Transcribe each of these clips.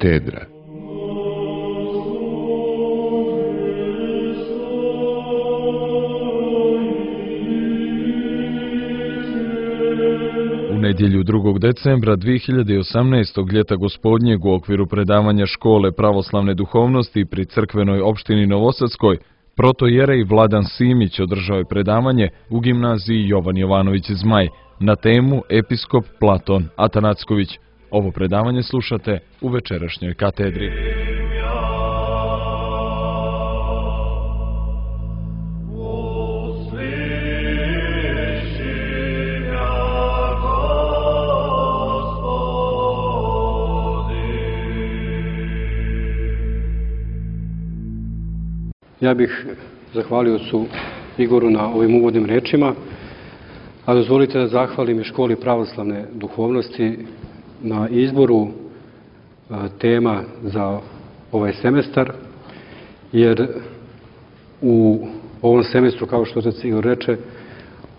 katedra. U nedjelju 2. decembra 2018. ljeta gospodnjeg u okviru predavanja škole pravoslavne duhovnosti pri crkvenoj opštini Novosadskoj, protojerej Vladan Simić održao je predavanje u gimnaziji Jovan Jovanović Zmaj na temu Episkop Platon Atanacković. Ovo predavanje slušate u večerašnjoj katedri. Ja bih zahvalio ocu Igoru na ovim uvodnim rečima, a dozvolite da zahvalim i školi pravoslavne duhovnosti na izboru tema za ovaj semestar, jer u ovom semestru, kao što otac Igor reče,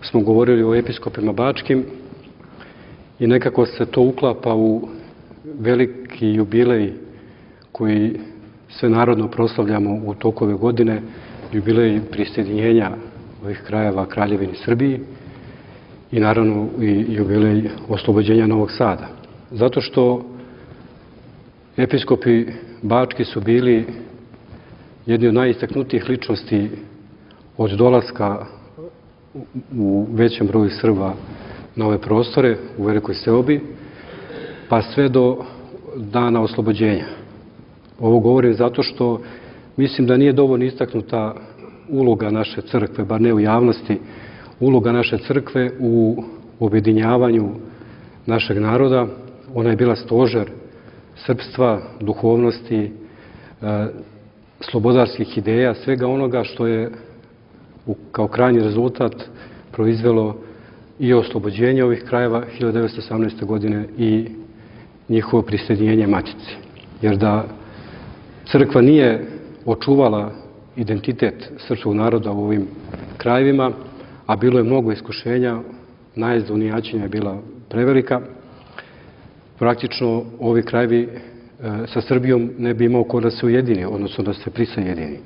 smo govorili o episkopima bačkim i nekako se to uklapa u veliki jubilej koji sve narodno proslavljamo u toku ove godine, jubilej prisjedinjenja ovih krajeva Kraljevini Srbiji i naravno i jubilej oslobođenja Novog Sada. Zato što episkopi bački su bili jedni od najistaknutijih ličnosti od dolaska u većem broju Srba na ove prostore, u velikoj seobi, pa sve do dana oslobođenja. Ovo govorim zato što mislim da nije dovoljno istaknuta uloga naše crkve, bar ne u javnosti, uloga naše crkve u objedinjavanju našeg naroda. Ona je bila stožer srpstva, duhovnosti, slobodarskih ideja, svega onoga što je kao krajnji rezultat proizvelo i oslobođenje ovih krajeva 1918. godine i njihovo prisjedinjenje Matici. Jer da crkva nije očuvala identitet srpskog naroda u ovim krajevima, a bilo je mnogo iskušenja, najezda unijaćenja je bila prevelika, praktično ovi krajevi sa Srbijom ne bi imao ko da se ujedini, odnosno da se prisajedini.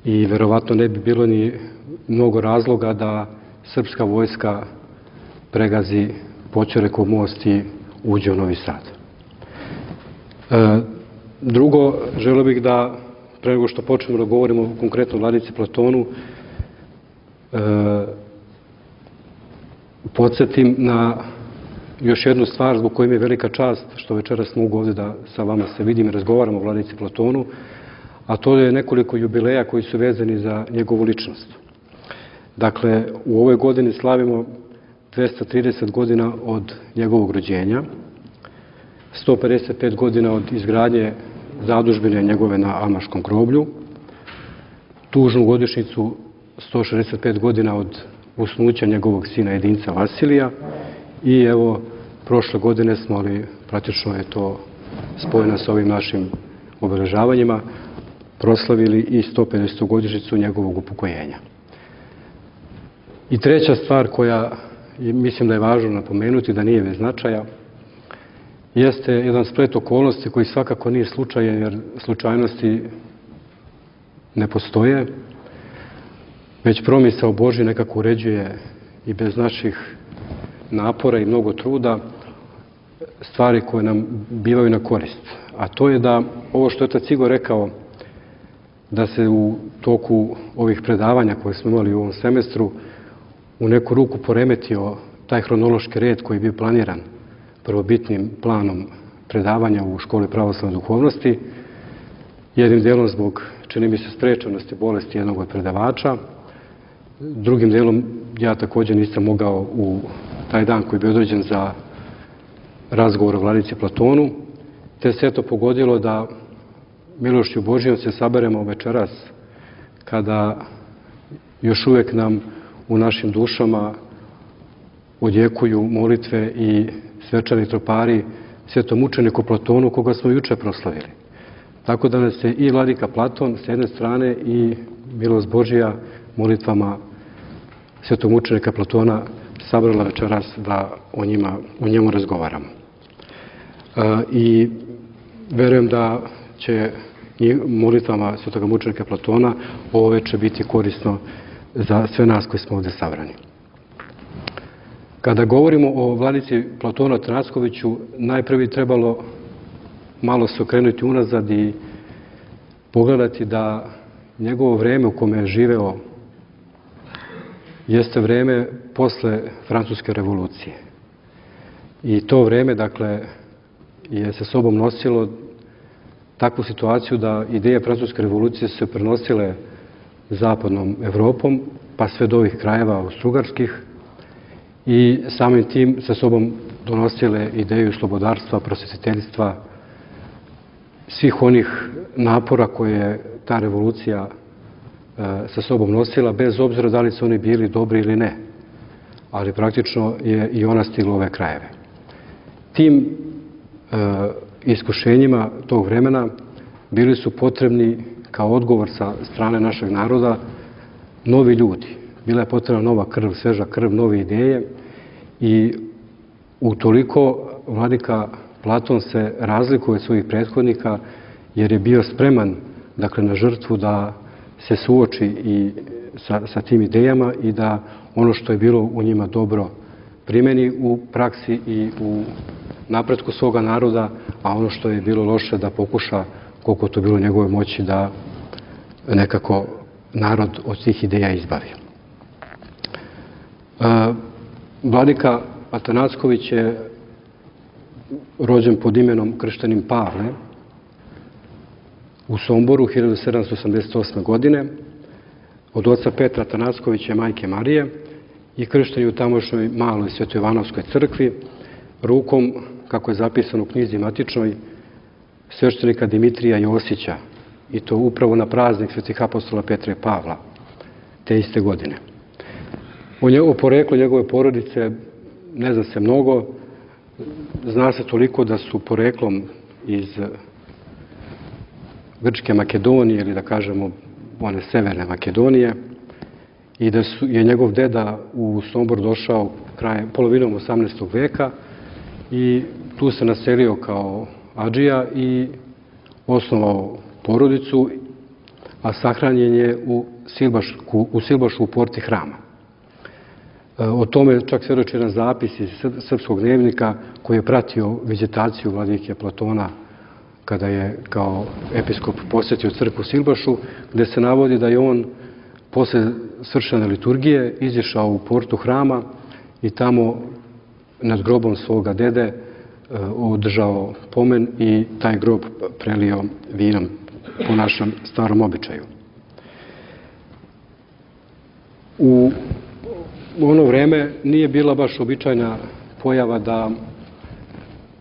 I verovatno ne bi bilo ni mnogo razloga da srpska vojska pregazi Poćorekov most i uđe u Novi Sad. Drugo, želeo bih da, pre nego što počnemo da govorimo o konkretno Vladici Platonu, podsjetim na još jednu stvar zbog koje mi je velika čast što večeras mogu ovdje da sa vama se vidim i razgovaram o Vladici Platonu, a to je nekoliko jubileja koji su vezani za njegovu ličnost. Dakle, u ovoj godini slavimo 230 godina od njegovog rođenja, 155 godina od izgradnje zadužbine njegove na Amaškom groblju, tužnu godišnjicu 165 godina od usnuća njegovog sina jedinca Vasilija i evo, prošle godine smo, ali praktično je to spojeno sa ovim našim obeležavanjima, proslavili i 150. godišnjicu njegovog upokojenja. I treća stvar koja mislim da je važno napomenuti, da nije bez značaja, jeste jedan splet okolnosti koji svakako nije slučajan, jer slučajnosti ne postoje, već promisao Božji nekako uređuje i bez naših napora i mnogo truda stvari koje nam bivaju na korist. A to je da ovo što je otac Igor rekao, da se u toku ovih predavanja koje smo imali u ovom semestru u neku ruku poremetio taj hronološki red koji je bio planiran prvobitnim planom predavanja u školi pravoslavne duhovnosti, jednim delom zbog, čini mi se, sprečenosti bolesti jednog od predavača, drugim delom ja također nisam mogao u taj dan koji je bio određen za razgovor o Vladici Platonu, te se eto pogodilo da milošću Božijom se saberemo večeras kada još uvijek nam u našim dušama odjekuju molitve i svečani tropari svetom mučeniku Platonu, koga smo juče proslavili. Tako da nas je i vladika Platon s jedne strane i milost Božija molitvama svetog mučenika Platona sabrala večeras da o njemu razgovaramo. I Verujem da će molitvama svetoga mučenika Platona ovo veče biti korisno za sve nas koji smo ovde sabrani. Kada govorimo o vladici Platonu Atanackoviću, najprve trebalo malo se okrenuti unazad i pogledati da njegovo vreme u kome je živeo jeste vreme posle Francuske revolucije. I to vreme, dakle, je sa sobom nosilo takvu situaciju da ideje Francuske revolucije su se prenosile zapadnom Evropom, pa sve do ovih krajeva austrougarskih, i samim tim sa sobom donosile ideju slobodarstva, prosvetiteljstva, svih onih napora koje je ta revolucija sa sobom nosila, bez obzira da li su oni bili dobri ili ne. Ali praktično je i ona stigla u ove krajeve. Tim iskušenjima tog vremena bili su potrebni kao odgovor sa strane našeg naroda novi ljudi. Bila je potrebna nova krv, sveža krv, nove ideje i utoliko vladika Platon se razlikuje od svojih prethodnika jer je bio spreman, dakle, na žrtvu da se suoči i sa tim idejama i da ono što je bilo u njima dobro primeni u praksi i u napretku svoga naroda, a ono što je bilo loše da pokuša, koliko to bilo u njegove moći, da nekako narod od tih ideja izbavi. Vladika Atanacković je rođen pod imenom krštenim Pavle u Somboru 1788. godine od oca Petra Atanackovića i majke Marije i kršten je u tamošnjoj maloj Svetojovanovskoj crkvi rukom, kako je zapisano u knjizi matičnoj, sveštenika Dimitrija Josića, i to upravo na praznik svetih apostola Petra i Pavla te iste godine. O poreklu njegove porodice ne zna se mnogo. Zna se toliko da su poreklom iz Grčke Makedonije, ili da kažemo one severne Makedonije, i da je njegov deda u Sombor došao polovinom 18. veka i tu se naselio kao adžija i osnovao porodicu, a sahranjen je u Silbašu u porti hrama. O tome čak svedoči jedan zapis iz srpskog dnevnika koji je pratio vizitaciju vladike Platona kada je kao episkop posetio crkvu u Silbašu, gde se navodi da je on posle svršene liturgije izišao u portu hrama i tamo nad grobom svoga dede održao pomen i taj grob prelio vinom po našem starom običaju. U ono vreme nije bila baš običajna pojava da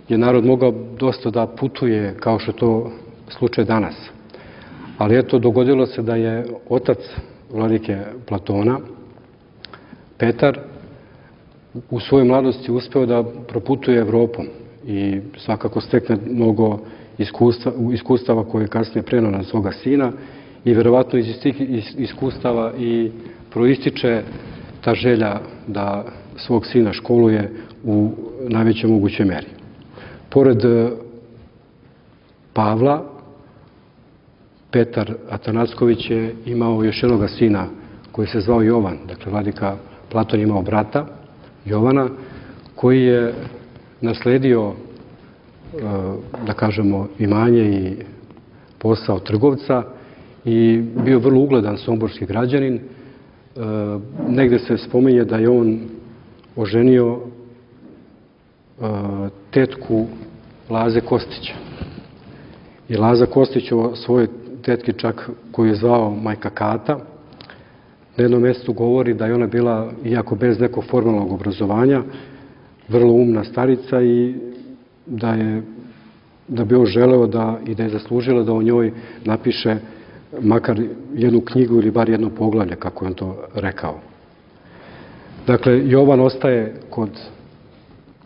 je narod mogao dosta da putuje kao što je to slučaj danas. Ali eto, dogodilo se da je otac vladike Platona, Petar, u svojoj mladosti uspeo da proputuje Evropom i svakako stekne mnogo iskustava koje je kasnije preneo na svoga sina i verovatno iz tih iskustava i proističe ta želja da svog sina školuje u najvećoj mogućoj meri. Pored Pavla, Petar Atanacković je imao još jednoga sina koji se zvao Jovan. Dakle, vladika Platon je imao brata Jovana koji je nasledio, da kažemo, imanje i posao trgovca i bio vrlo ugledan somborski građanin. Negde se spominje da je on oženio tetku Laze Kostića. I Laza Kostić o svojoj tetki čak, koju je zvao majka Kata, na jednom mjestu govori da je ona bila, iako bez nekog formalnog obrazovanja, vrlo umna starica i da bi on želeo i da je zaslužila da o njoj napiše makar jednu knjigu ili bar jedno poglavlje, kako je on to rekao. Dakle, Jovan ostaje kod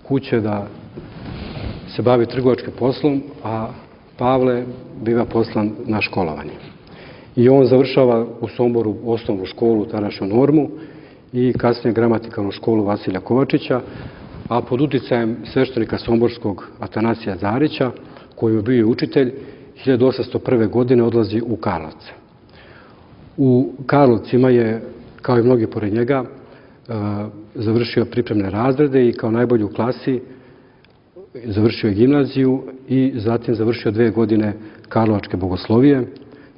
kuće da se bavi trgovačkim poslom, a Pavle biva poslan na školovanje. I on završava u Somboru osnovnu školu, tadašnju Normu, i kasnije gramatikalnu školu Vasilja Kovačića, a pod uticajem sveštenika somborskog Atanasija Zarića koju je bio učitelj, 1801. godine odlazi u Karlovce. U Karlovcima je, kao i mnogi pored njega, završio pripremne razrede i kao najbolji u klasi završio je gimnaziju i zatim završio 2 godine Karlovačke bogoslovije,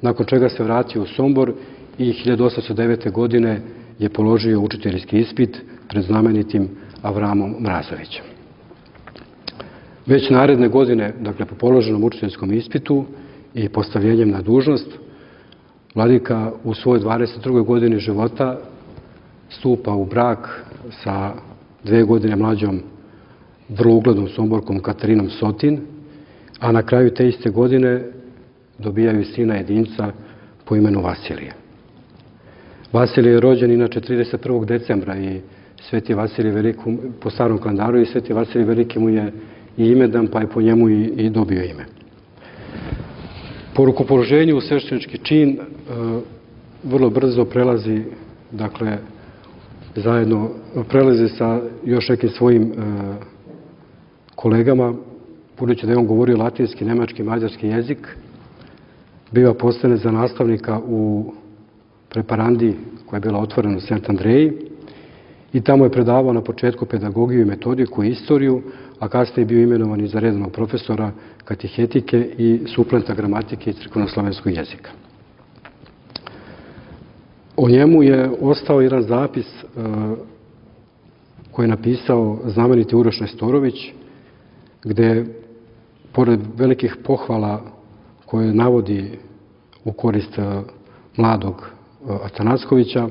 nakon čega se vratio u Sombor i 1809. godine je položio učiteljski ispit pred znamenitim Avramom Mrazovićem. Već naredne godine, dakle po položenom učiteljskom ispitu i postavljenjem na dužnost, vladika u svojoj 22. godini života stupa u brak sa 2 godine mlađom vrlo uglednom Somborkom Katarinom Sotin, a na kraju te iste godine dobijaju sina jedinca po imenu Vasilije. Vasilije je rođen inače 31. decembra i Sveti Vasilij Veliki, po starom kalendaru, i Sveti Vasilij Veliki mu je i imendan, pa je po njemu i dobio ime. Po rukopoloženju u sveštenički čin vrlo brzo prelazi, dakle, zajedno prelazi sa još nekim svojim kolegama, budući da je on govorio latinski, nemački, mađarski jezik, biva postavljen za nastavnika u preparandiji koja je bila otvorena u Sent Andreji i tamo je predavao na početku pedagogiju i metodiku i istoriju, a kasnije je bio imenovan i za redovnog profesora katehetike i suplenta gramatike i crkveno-slovenskog jezika. O njemu je ostao jedan zapis koji je napisao znameniti Uroš Nestorović, gde, pored velikih pohvala koje navodi u korist mladog Atanackovića,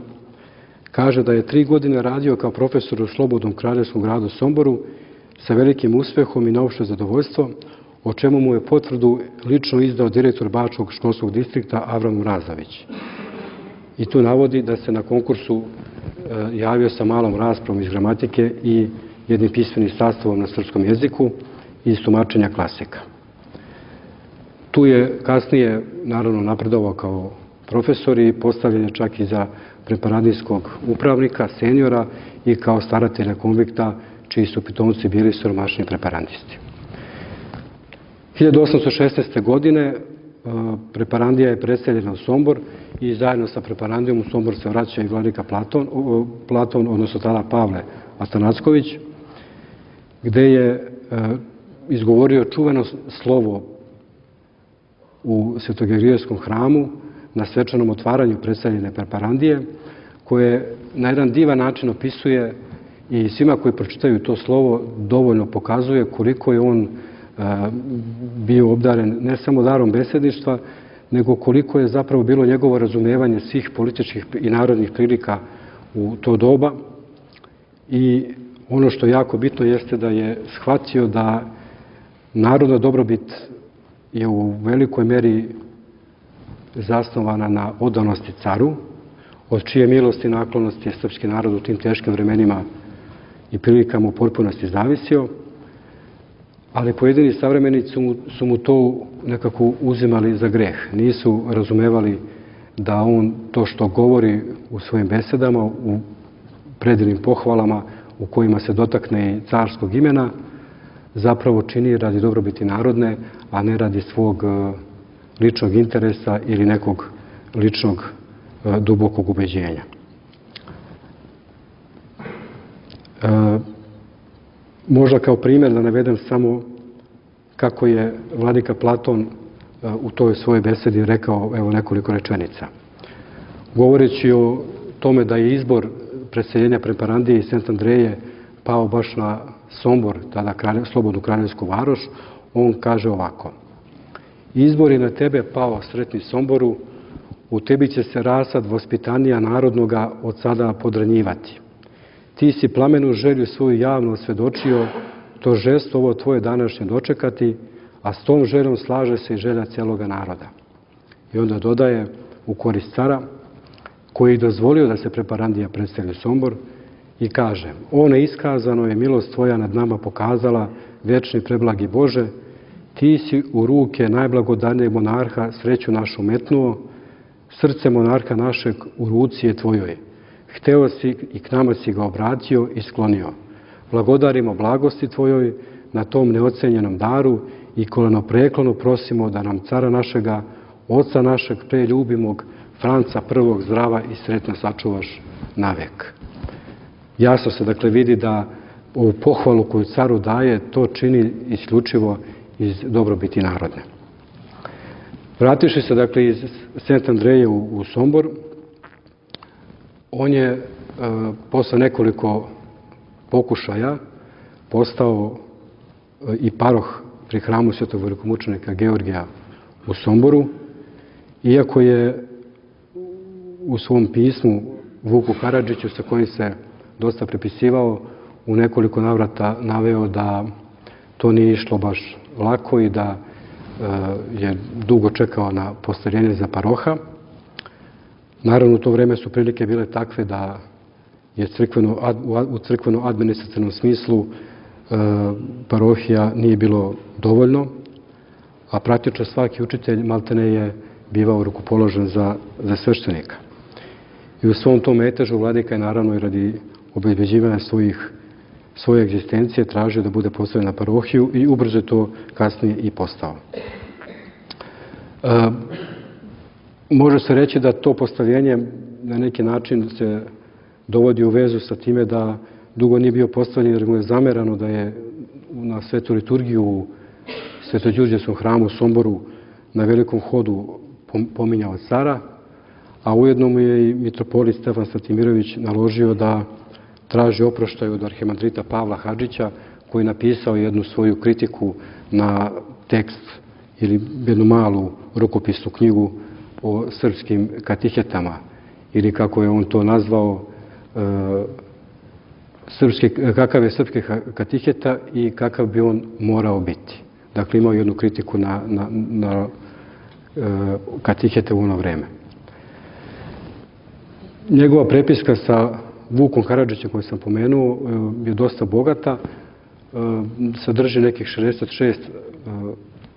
kaže da je 3 godine radio kao profesor u Slobodnom kraljevskom gradu Somboru sa velikim uspehom i na opšte zadovoljstvo, o čemu mu je potvrdu lično izdao direktor Bačkog školskog distrikta Avram Mrazović. I tu navodi da se na konkursu javio sa malom raspravom iz gramatike i jednim pismenim sastavom na srpskom jeziku i iz tumačenja klasika. Tu je kasnije, naravno, napredovao kao profesor i postavljen je čak i za preparandijskog upravnika, seniora i kao staratelja konvikta, čiji su pitomci bili siromašni preparandisti. 1816. godine preparandija je preseljena u Sombor i zajedno sa preparandijom u Sombor se vraća i vladika Platon, odnosno tada Pavle Atanacković, gde je izgovorio čuveno slovo u Svetogerijeskom hramu na svečanom otvaranju preseljene preparandije, koje na jedan divan način opisuje i svima koji pročitaju to slovo dovoljno pokazuje koliko je on bio obdaren ne samo darom besedništva, nego koliko je zapravo bilo njegovo razumevanje svih političkih i narodnih prilika u to doba. I ono što je jako bitno jeste da je shvatio da narodna dobrobit je u velikoj meri zasnovana na odanosti caru, od čije milosti i naklonosti je srpski narod u tim teškim vremenima i prilikama u potpunosti zavisio, ali pojedini savremenici su mu to nekako uzimali za greh. Nisu razumevali da on to što govori u svojim besedama, u predivnim pohvalama u kojima se dotakne i carskog imena, zapravo čini radi dobrobiti narodne, a ne radi svog ličnog interesa ili nekog ličnog dubokog ubeđenja. Možda kao primjer da navedem samo kako je vladika Platon u toj svojoj besedi rekao evo nekoliko rečenica. Govoreći o tome da je izbor preseljenja preparandije iz Sent Andreje pao baš na Sombor, tada slobodnu kraljevsku varoš, on kaže ovako: izbor je na tebe pao, sretni Somboru, u tebi će se rasad vaspitanija narodnoga od sada podranjivati. Ti si plamenu želju svoju javno osvedočio, to žesto ovo tvoje današnje dočekati, a s tom željom slaže se i želja cijeloga naroda. I onda dodaje u korist cara, koji je dozvolio da se preparandija predstavlja Sombor, i kaže: o neiskazano je milost tvoja nad nama pokazala, vječni preblagi Bože, ti si u ruke najblagodarnijeg monarha sreću našu metnuo, srce monarha našeg u ruci je tvojoj. Hteo si i k nama si ga obratio i sklonio. Blagodarimo blagosti tvojoj na tom neocenjenom daru i kolenopreklonu prosimo da nam cara našega, oca našeg preljubimog, Franca I. zdrava i sretna sačuvaš navek. Jasno se dakle vidi da ovu pohvalu koju caru daje, to čini isključivo iz dobrobiti narodne. Vrativši se dakle iz Sent Andreje u Sombor, on je posle nekoliko pokušaja postao i paroh pri hramu svetog velikomučenika Georgija u Somboru, iako je u svom pismu Vuku Karadžiću, sa kojim se dosta prepisivao, u nekoliko navrata naveo da to nije išlo baš lako i da je dugo čekao na postavljenje za paroha. Naravno, u to vreme su prilike bile takve da je u crkveno-administrativnom smislu parohija nije bilo dovoljno, a praktično svaki učitelj maltene je bivao rukopoložen za sveštenika. I u svom tom metežu vladika je naravno i radi obezbeđivanja svoje egzistencije tražio da bude postavljen na parohiju i ubrzo je to kasnije i postao. Može se reći da to postavljenje na neki način se dovodi u vezu sa time da dugo nije bio postavljen jer mu je zamerano da je na svetu liturgiju u Svetođurđevskom hramu u Somboru na velikom hodu pominjao cara, a ujedno mu je i mitropolit Stefan Stratimirović naložio da traži oproštaj od arhimandrita Pavla Hadžića, koji je napisao jednu svoju kritiku na tekst ili jednu malu rukopisnu knjigu o srpskim katihetama, ili kako je on to nazvao, kakav je srpski katiheta i kakav bi on morao biti. Dakle, imao jednu kritiku na katihete u ono vreme. Njegova prepiska sa Vukom Karadžićem, koju sam pomenuo, je dosta bogata. Sadrži nekih 66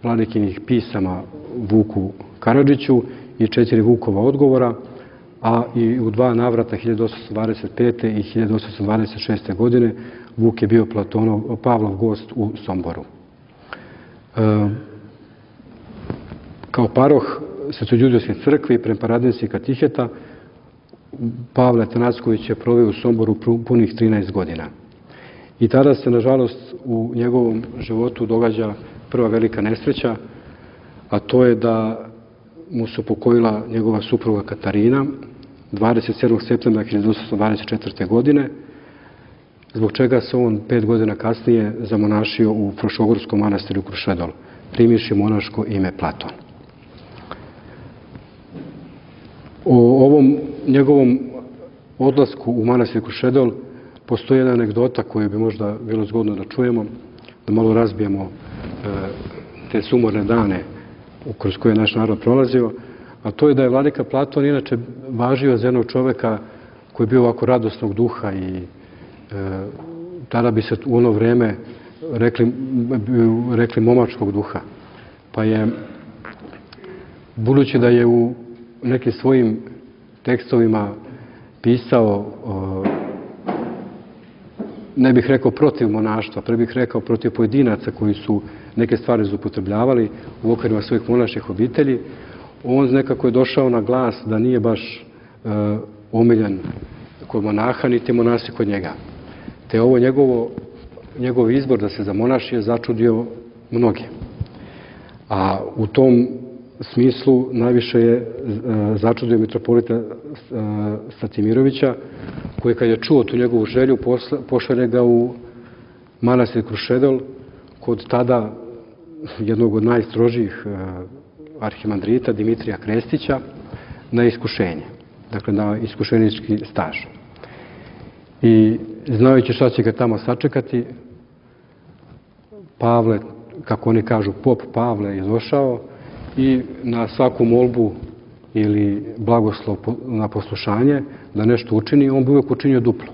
vladikinih pisama Vuku Karadžiću i 4 Vukova odgovora, a i u 2 navrata 1825. i 1826. godine Vuk je bio Pavlov gost u Somboru. Kao paroh Svetođurđevske crkve i preparadinskih katiheta Pavle Atanacković je proveo u Somboru punih 13 godina. I tada se, nažalost, u njegovom životu događa prva velika nesreća, a to je da mu se upokojila njegova supruga Katarina 27. septembra 1824. godine, zbog čega se on 5 godina kasnije zamonašio u Frušogorskom manastiru Krušedol, primivši monaško ime Platon. O ovom njegovom odlasku u manastir Krušedol postoji jedna anegdota koju bi možda bilo zgodno da čujemo, da malo razbijemo te sumorne dane kroz koje je naš narod prolazio, a to je da je vladika Platon inače važio za jednog čoveka koji je bio ovako radosnog duha i tada bi se u ono vreme rekli momačkog duha. Pa je, budući da je u nekim svojim tekstovima pisao, ne bih rekao protiv monaštva, pre bih rekao protiv pojedinaca koji su neke stvari zloupotrebljavali u okvirima svojih monaških obitelji, on nekako je došao na glas da nije baš omiljen kod monaha, niti monasi kod njega. Te ovo njegov izbor da se zamonaši je začudio mnoge. A u tom smislu najviše je začudio mitropolita Stratimirovića, koji kad je čuo tu njegovu želju, pošalje ga u manastir Krušedol kod tada jednog od najstrožijih arhimandrita Dimitrija Krestića na iskušenje, dakle na iskušenički staž. I znajući šta će ga tamo sačekati, Pavle, kako oni kažu, pop Pavle je došao i na svaku molbu ili blagoslov na poslušanje da nešto učini, on bi uvijek učinio duplo.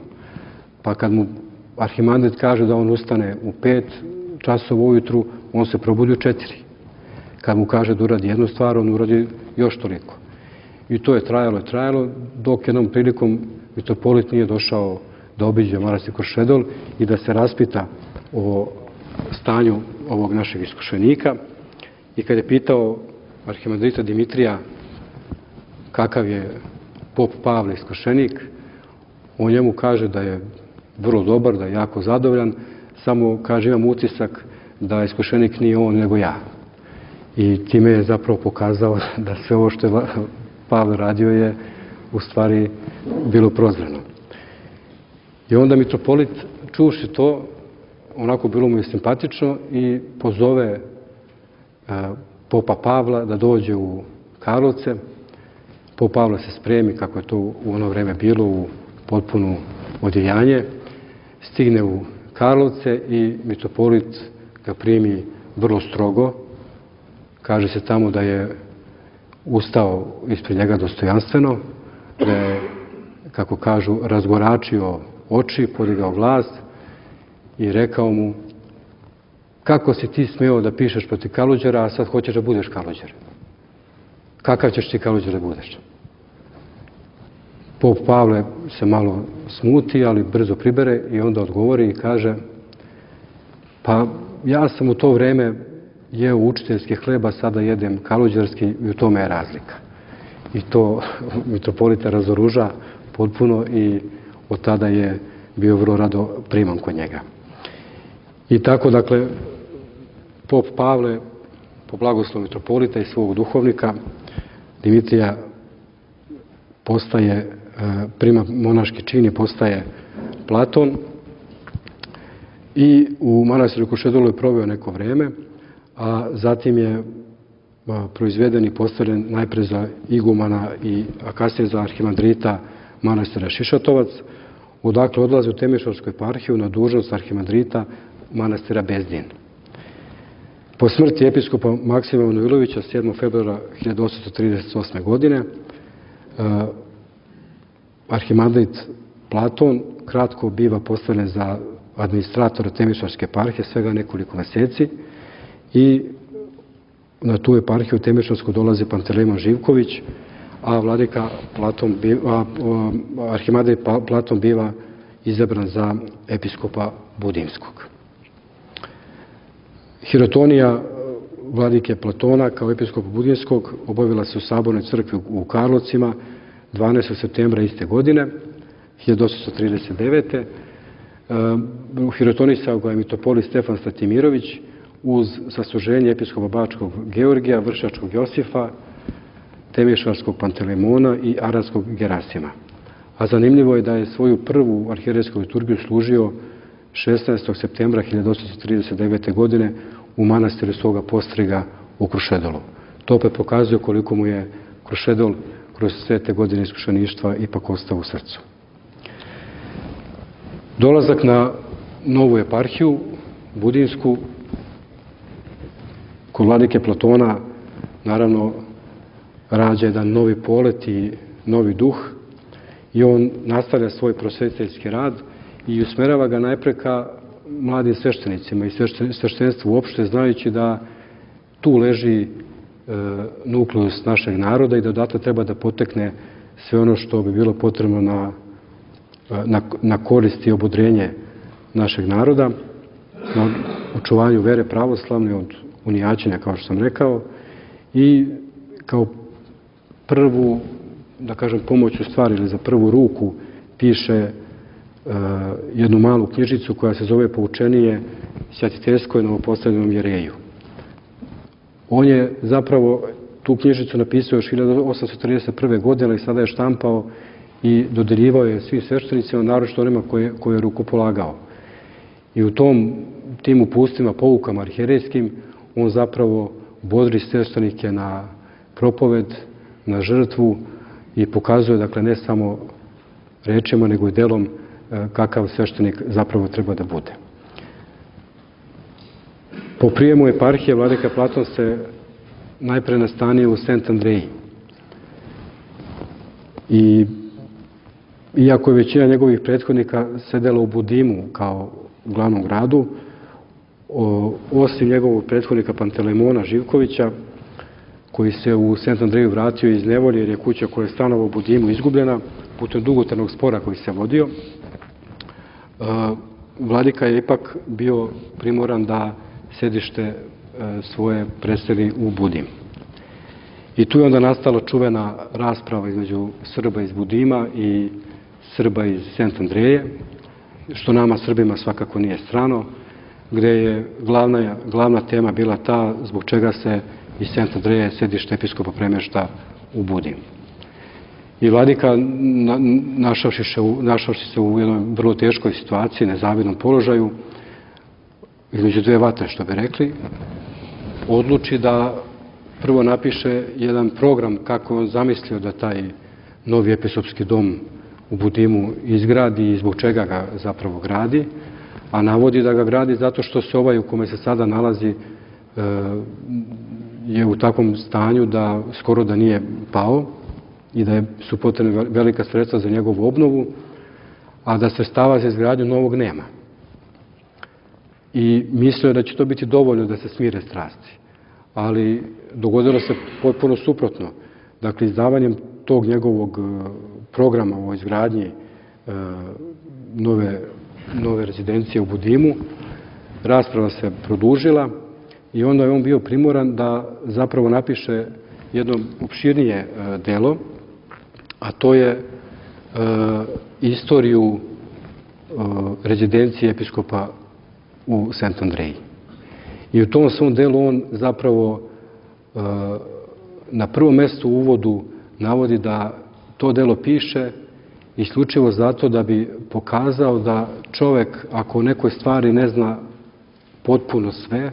Pa kad mu arhimandrit kaže da on ustane u 5 časova ujutru, on se probudi u 4. Kad mu kaže da uradi jednu stvar, on uradi još toliko. I to je trajalo, dok jednom prilikom mitropolit nije došao da obiđe manastir Krušedol i da se raspita o stanju ovog našeg iskušenika i kad je pitao arhimandrita Dimitrija kakav je pop Pavle iskušenik, on njemu kaže da je vrlo dobar, da je jako zadovoljan, samo kaže imam utisak da iskušenik nije on nego ja. I time je zapravo pokazao da sve ovo što je Pavle radio je u stvari bilo prozreno. I onda mitropolit čuši to, onako bilo mu je simpatično i pozove popa Pavla da dođe u Karlovce. Pop Pavle se spremi, kako je to u ono vreme bilo, u potpuno odjejanje, stigne u Karlovce i mitropolit ga primi vrlo strogo. Kaže se tamo da je ustao ispred njega dostojanstveno, da je, kako kažu, razgoračio oči, podigao glas i rekao mu: kako si ti smeo da pišeš protiv Kalođera, a sad hoćeš da budeš Kalođer? Kakav ćeš ti Kalođer da budeš? Pop Pavle se malo smuti, ali brzo pribere i onda odgovori i kaže: pa ja sam u to vreme jeo učiteljski hleb, a sada jedem kalođerski i u tome je razlika. I to mitropolita razoruža potpuno i od tada je bio vrlo rado priman kod njega. I tako, dakle, pop Pavle, po blagoslovu mitropolita i svog duhovnika, Dimitrija, postaje, prima monaški čin i postaje Platon. I u manastiru Krušedolu je proveo neko vreme, a zatim je proizveden i postavljen najpre za igumana a kasnije za arhimandrita manastira Šišatovac, odakle odlazi u Temišvarsku eparhiju na dužnost arhimandrita manastira Bezdin. Po smrti episkopa Maksima Manojlovića 7. februara 1838. godine arhimandrit Platon kratko biva postavljen za administratora Temišvarske eparhije, svega nekoliko meseci, i na tu eparhiju Temišvarsku dolazi Pantelejmon Živković, a arhimandrit Platon biva izabran za episkopa Budimskog. Hirotonija vladike Platona kao episkopa Budimskog obavila se u Sabornoj crkvi u Karlovcima 12. septembra iste godine, 1839. Hirotonisao ga je mitropolit Stefan Statimirović uz sasluženje episkopa Bačkog Georgija, Vršačkog Josifa, Temišvarskog Pantelejmona i Aranskog Gerasima. A zanimljivo je da je svoju prvu arhijerejsku liturgiju služio 16. septembra 1839. godine u manastiru svoga Postriga u Krušedolu. To opet pokazuje koliko mu je Krušedol kroz sve te godine iskušeništva ipak ostao u srcu. Dolazak na novu eparhiju, Budinsku, kod vladike Platona, naravno, rađa jedan novi polet i novi duh i on nastavlja svoj prosvetiteljski rad i usmerava ga najpre ka mladim sveštenicima i sveštenstvu uopšte, znajući da tu leži nukleus našeg naroda i da odatle treba da potekne sve ono što bi bilo potrebno na korist i obodrenje našeg naroda, na očuvanju vere pravoslavne od unijaćenja, kao što sam rekao, i kao prvu, da kažem, pomoć u stvari ili za prvu ruku piše jednu malu knjižicu koja se zove Poučenije Svatiteljskoj novopostavljenom jereju. On je zapravo tu knjižicu napisao još 1831. godine i sada je štampao i dodeljivao je svim sveštenicima, naročito onima koje je rukopolagao. I u tim upustima, poukama arhijerejskim, on zapravo bodri sveštenike na propoved, na žrtvu i pokazuje, dakle, ne samo rečima, nego i delom kakav sveštenik zapravo treba da bude. Po prijemu eparhije, vladika Platon se najpre nastanio u Sent Andreji. I iako je većina njegovih prethodnika sedela u Budimu kao u glavnom gradu, osim njegovog prethodnika Pantelejmona Živkovića, koji se u Sent Andreju vratio iz nevolje jer je kuća koja je stanovao u Budimu izgubljena putem dugotrajnog spora koji se vodio, vladika je ipak bio primoran da sedište svoje preseli u Budim. I tu je onda nastala čuvena rasprava između Srba iz Budima i Srba iz Sent Andreje, što nama Srbima svakako nije strano, gde je glavna tema bila ta zbog čega se iz Sent Andreje sedište episkopa premešta u Budim. I vladika, našavši se u jednoj vrlo teškoj situaciji, nezavidnom položaju, između dve vatre, što bi rekli, odluči da prvo napiše jedan program kako on zamislio da taj novi episkopski dom u Budimu izgradi i zbog čega ga zapravo gradi, a navodi da ga gradi zato što se ovaj u kome se sada nalazi je u takvom stanju da skoro da nije pao i da su potrebne velika sredstva za njegovu obnovu, a da sredstava za izgradnju novog nema. I mislio je da će to biti dovoljno da se smire strasti. Ali dogodilo se potpuno suprotno. Dakle, izdavanjem tog njegovog programa o izgradnji nove rezidencije u Budimu, rasprava se produžila i onda je on bio primoran da zapravo napiše jedno opširnije delo, a to je istoriju rezidencije episkopa u Sent Andreji. I u tom svom delu on zapravo na prvom mestu u uvodu navodi da to delo piše isključivo zato da bi pokazao da čovek, ako o nekoj stvari ne zna potpuno sve,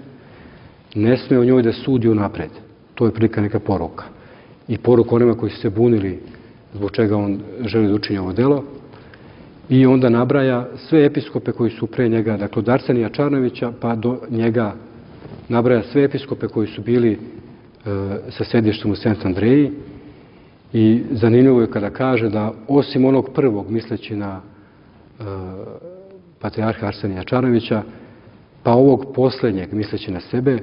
ne sme o njoj da sudi unapred. To je prilika neka poruka. I poruka onima koji su se bunili zbog čega on želi da učini ovo delo. I onda nabraja sve episkope koji su pre njega, dakle od Arsenija Čarnojevića pa do njega nabraja sve episkope koji su bili sa sedištem u Sent Andreji. I zanimljivo je kada kaže da osim onog prvog, misleći na patrijarha Arsenija Čarnojevića, pa ovog poslednjeg, misleći na sebe,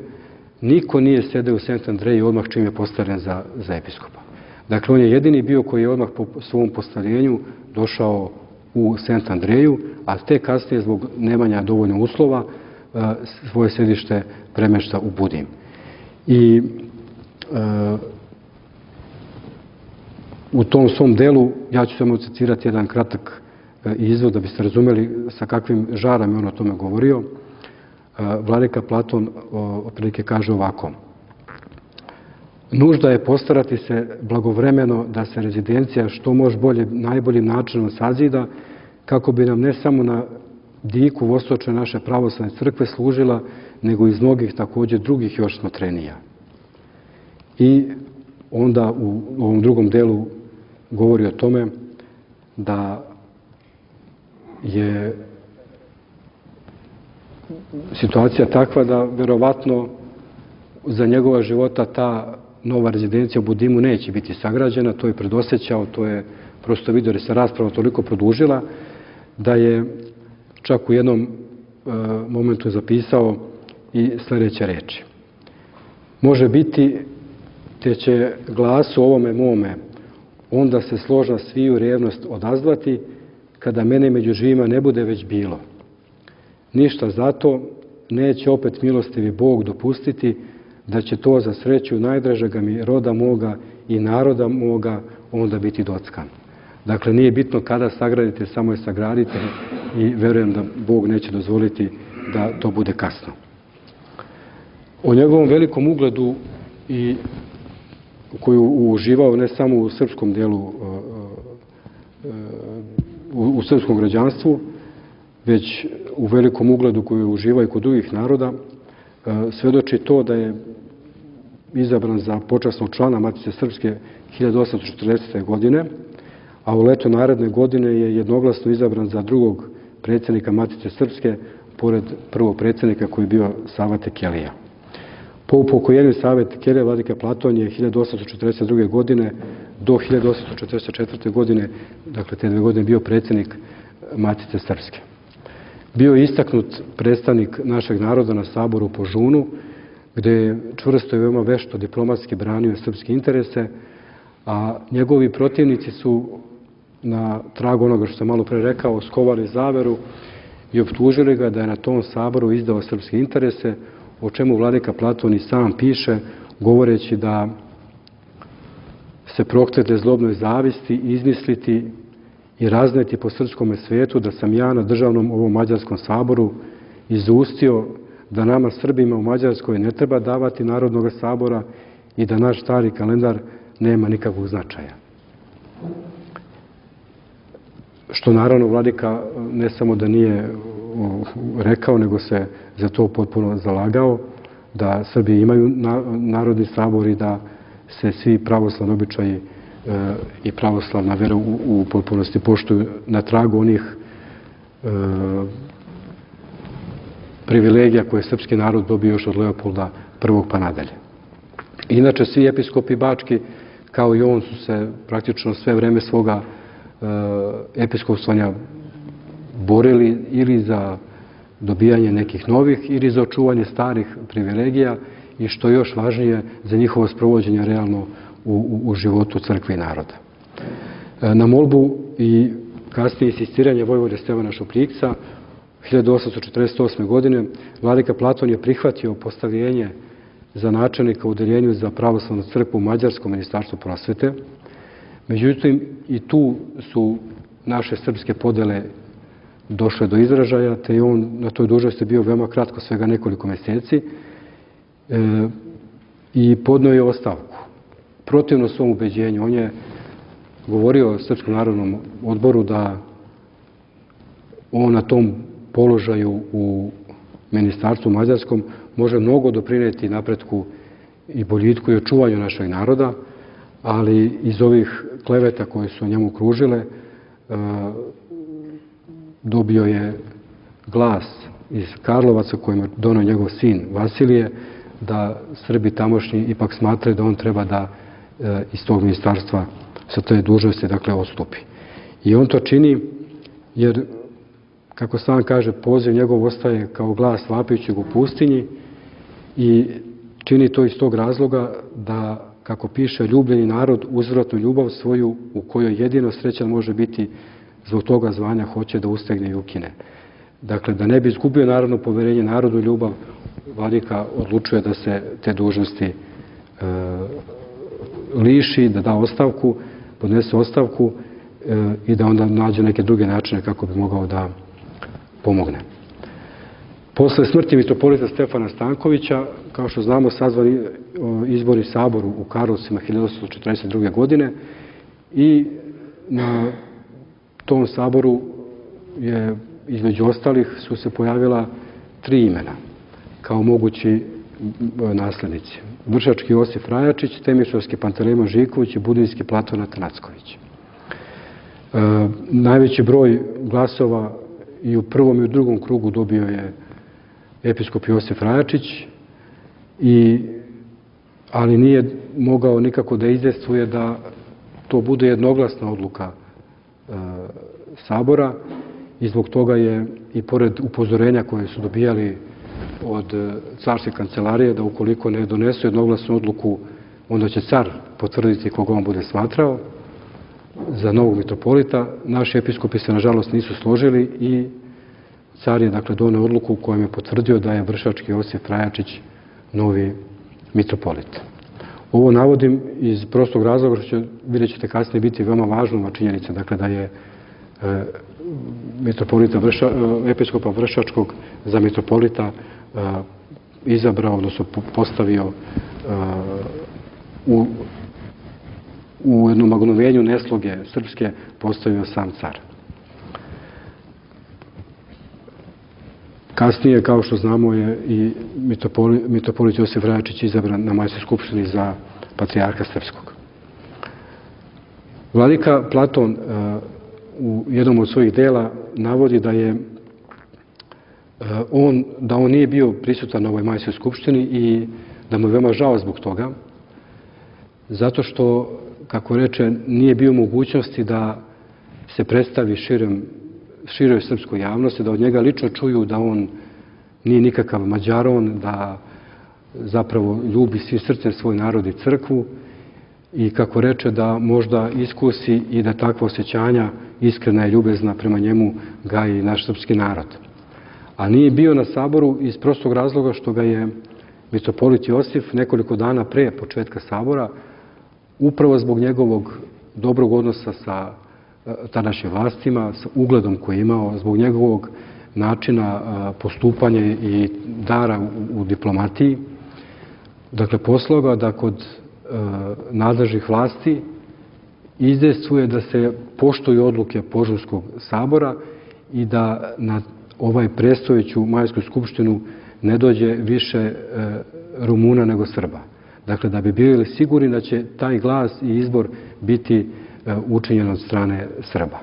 niko nije sedeo u Sent Andreji odmah čim je postavljen za episkopa. Dakle, on je jedini bio koji je odmah po svom postavljenju došao u Sent Andreju, a te kasnije, zbog nemanja dovoljno uslova, svoje sedište premešta u Budim. I u tom svom delu, ja ću samo citirati jedan kratak izvod da biste razumeli sa kakvim žarom je on o tome govorio. Vladika Platon otprilike kaže ovako: nužda je postarati se blagovremeno da se rezidencija što može bolje, najboljim načinom sazida, kako bi nam ne samo na diku vostočne naše pravoslavne crkve služila, nego iz mnogih također drugih još smatrenija. I onda u ovom drugom delu govori o tome da je situacija takva da verovatno za njegova života ta nova rezidencija u Budimu neće biti sagrađena, to je predosećao, to je prosto vidio da se rasprava toliko produžila, da je čak u jednom momentu zapisao i sljedeće reči. Može biti, te će glasu ovome mome onda se složna sviju revnost odazvati, kada mene među živima ne bude već bilo. Ništa zato neće opet milostivi Bog dopustiti da će to za sreću najdražega mi roda moga i naroda moga onda biti dockan. Dakle, nije bitno kada sagradite, samo je sagradite i verujem da Bog neće dozvoliti da to bude kasno. O njegovom velikom ugledu i koju uživao ne samo u srpskom delu, u srpskom građanstvu, već u velikom ugledu koju uživa i kod drugih naroda, svedoči to da je izabran za počasnog člana Matice Srpske 1840. godine, a u leto naredne godine je jednoglasno izabran za drugog predsjednika Matice Srpske, pored prvog predsjednika koji je bio Sava Tekelija. Po upokojenju Save Tekelije, vladika Platon je 1842. godine do 1844. godine, dakle te 2 godine, bio predsjednik Matice Srpske. Bio je istaknut predstavnik našeg naroda na saboru u Požunu, gde je čvrsto i veoma vešto diplomatski branio srpske interese, a njegovi protivnici su na tragu onoga što sam malo pre rekao, skovali zaveru i optužili ga da je na tom saboru izdao srpske interese, o čemu vladika Platon i sam piše, govoreći da se proklete zlobnoj zavisti, izmisliti i razneti po srpskom svijetu da sam ja na državnom ovom Mađarskom saboru izustio da nama Srbima u Mađarskoj ne treba davati Narodnog sabora i da naš stari kalendar nema nikakvog značaja. Što naravno vladika ne samo da nije rekao, nego se za to potpuno zalagao, da Srbi imaju Narodni sabor i da se svi pravoslavni običaji i pravoslavna vera u potpunosti poštuju na tragu onih privilegija koje je srpski narod dobio još od Leopolda I pa nadalje. Inače, svi episkopi bački, kao i on, su se praktično sve vreme svoga episkopstvanja borili ili za dobijanje nekih novih ili za očuvanje starih privilegija i, što je još važnije, za njihovo sprovođenje realno u životu crkve i naroda. Na molbu i kasnije insistiranje vojvode Stevana Šupljikca 1848. godine vladika Platon je prihvatio postavljenje za načelnika u Odeljenju za pravoslavnu crkvu u Mađarskom ministarstvu prosvete. Međutim, i tu su naše srpske podele došle do izražaja, te je on na toj dužnosti bio veoma kratko, svega nekoliko mjeseci, i podnio je ostavku. Protivno svom ubeđenju, on je govorio Srpskom narodnom odboru da on na tom položaju u ministarstvu mađarskom može mnogo doprinijeti napretku i boljitku i očuvanju našeg naroda, ali iz ovih kleveta koje su njemu kružile dobio je glas iz Karlovaca kojim je donio njegov sin Vasilije, da Srbi tamošnji ipak smatraju da on treba da iz tog ministarstva sa te dužnosti, dakle, odstupi. I on to čini jer, kako sam kaže, poziv njegov ostaje kao glas vapajućeg u pustinji i čini to iz tog razloga da, kako piše, ljubljeni narod uzvratnu ljubav svoju, u kojoj jedino srećan može biti, zbog toga zvanja hoće da ustegne i ukine. Dakle, da ne bi izgubio narodno poverenje, narodu ljubav, vladika odlučuje da se te dužnosti liši, da da ostavku, podnese ostavku i da onda nađe neke druge načine kako bi mogao da pomogne. Posle smrti mitropolita Stefana Stankovića, kao što znamo, sazvani izbori saboru u Karlovcima 1842. godine i na tom saboru je, između ostalih, su se pojavila 3 imena kao mogući naslednici. Vršački Josif Rajačić, Temišvarski Pantelejmon Živković i Budinski Platon Atanacković. Najveći broj glasova i u prvom i u drugom krugu dobio je episkop Josif Rajačić, ali nije mogao nikako da izdejstvuje da to bude jednoglasna odluka sabora i zbog toga je, i pored upozorenja koje su dobijali od carske kancelarije da ukoliko ne donesu jednoglasnu odluku, onda će car potvrditi koga on bude smatrao za novog mitropolita, naši episkopi se nažalost nisu složili i car je, dakle, doneo odluku kojom je potvrdio da je Vršački Josif Rajačić novi mitropolit. Ovo navodim iz prostog razloga što vidjet ćete kasnije biti veoma važna činjenica, dakle, da je episkopa Vršačkog za mitropolita izabrao, odnosno postavio u jednom magnovenju nesloge srpske, postavio sam car. Kasnije, kao što znamo, je i mitropolit Josif Rajačić izabran na Majskoj skupštini za patrijarha srpskog. Vladika Platon u jednom od svojih dela navodi da on nije bio prisutan na ovoj Majskoj skupštini i da mu je veoma žao zbog toga, zato što, kako reče, nije bio mogućnosti da se predstavi široj srpskoj javnosti, da od njega lično čuju da on nije nikakav Mađaron, da zapravo ljubi svim srcem svoj narod i crkvu i, kako reče, da možda iskusi i da takva osjećanja, iskrena i ljubezna prema njemu, gaji naš srpski narod. A nije bio na saboru iz prostog razloga što ga je mitropolit Josif nekoliko dana pre početka sabora, upravo zbog njegovog dobrog odnosa sa tadašnjim vlastima, s ugledom koji je imao, zbog njegovog načina postupanja i dara u diplomatiji, dakle, poslao ga da kod nadležnih vlasti izdejstvuje da se poštuju odluke Požurskog sabora i da na ovaj predstojeću Majsku skupštinu ne dođe više Rumuna nego Srba. Dakle, da bi bili sigurni da će taj glas i izbor biti učinjen od strane Srba.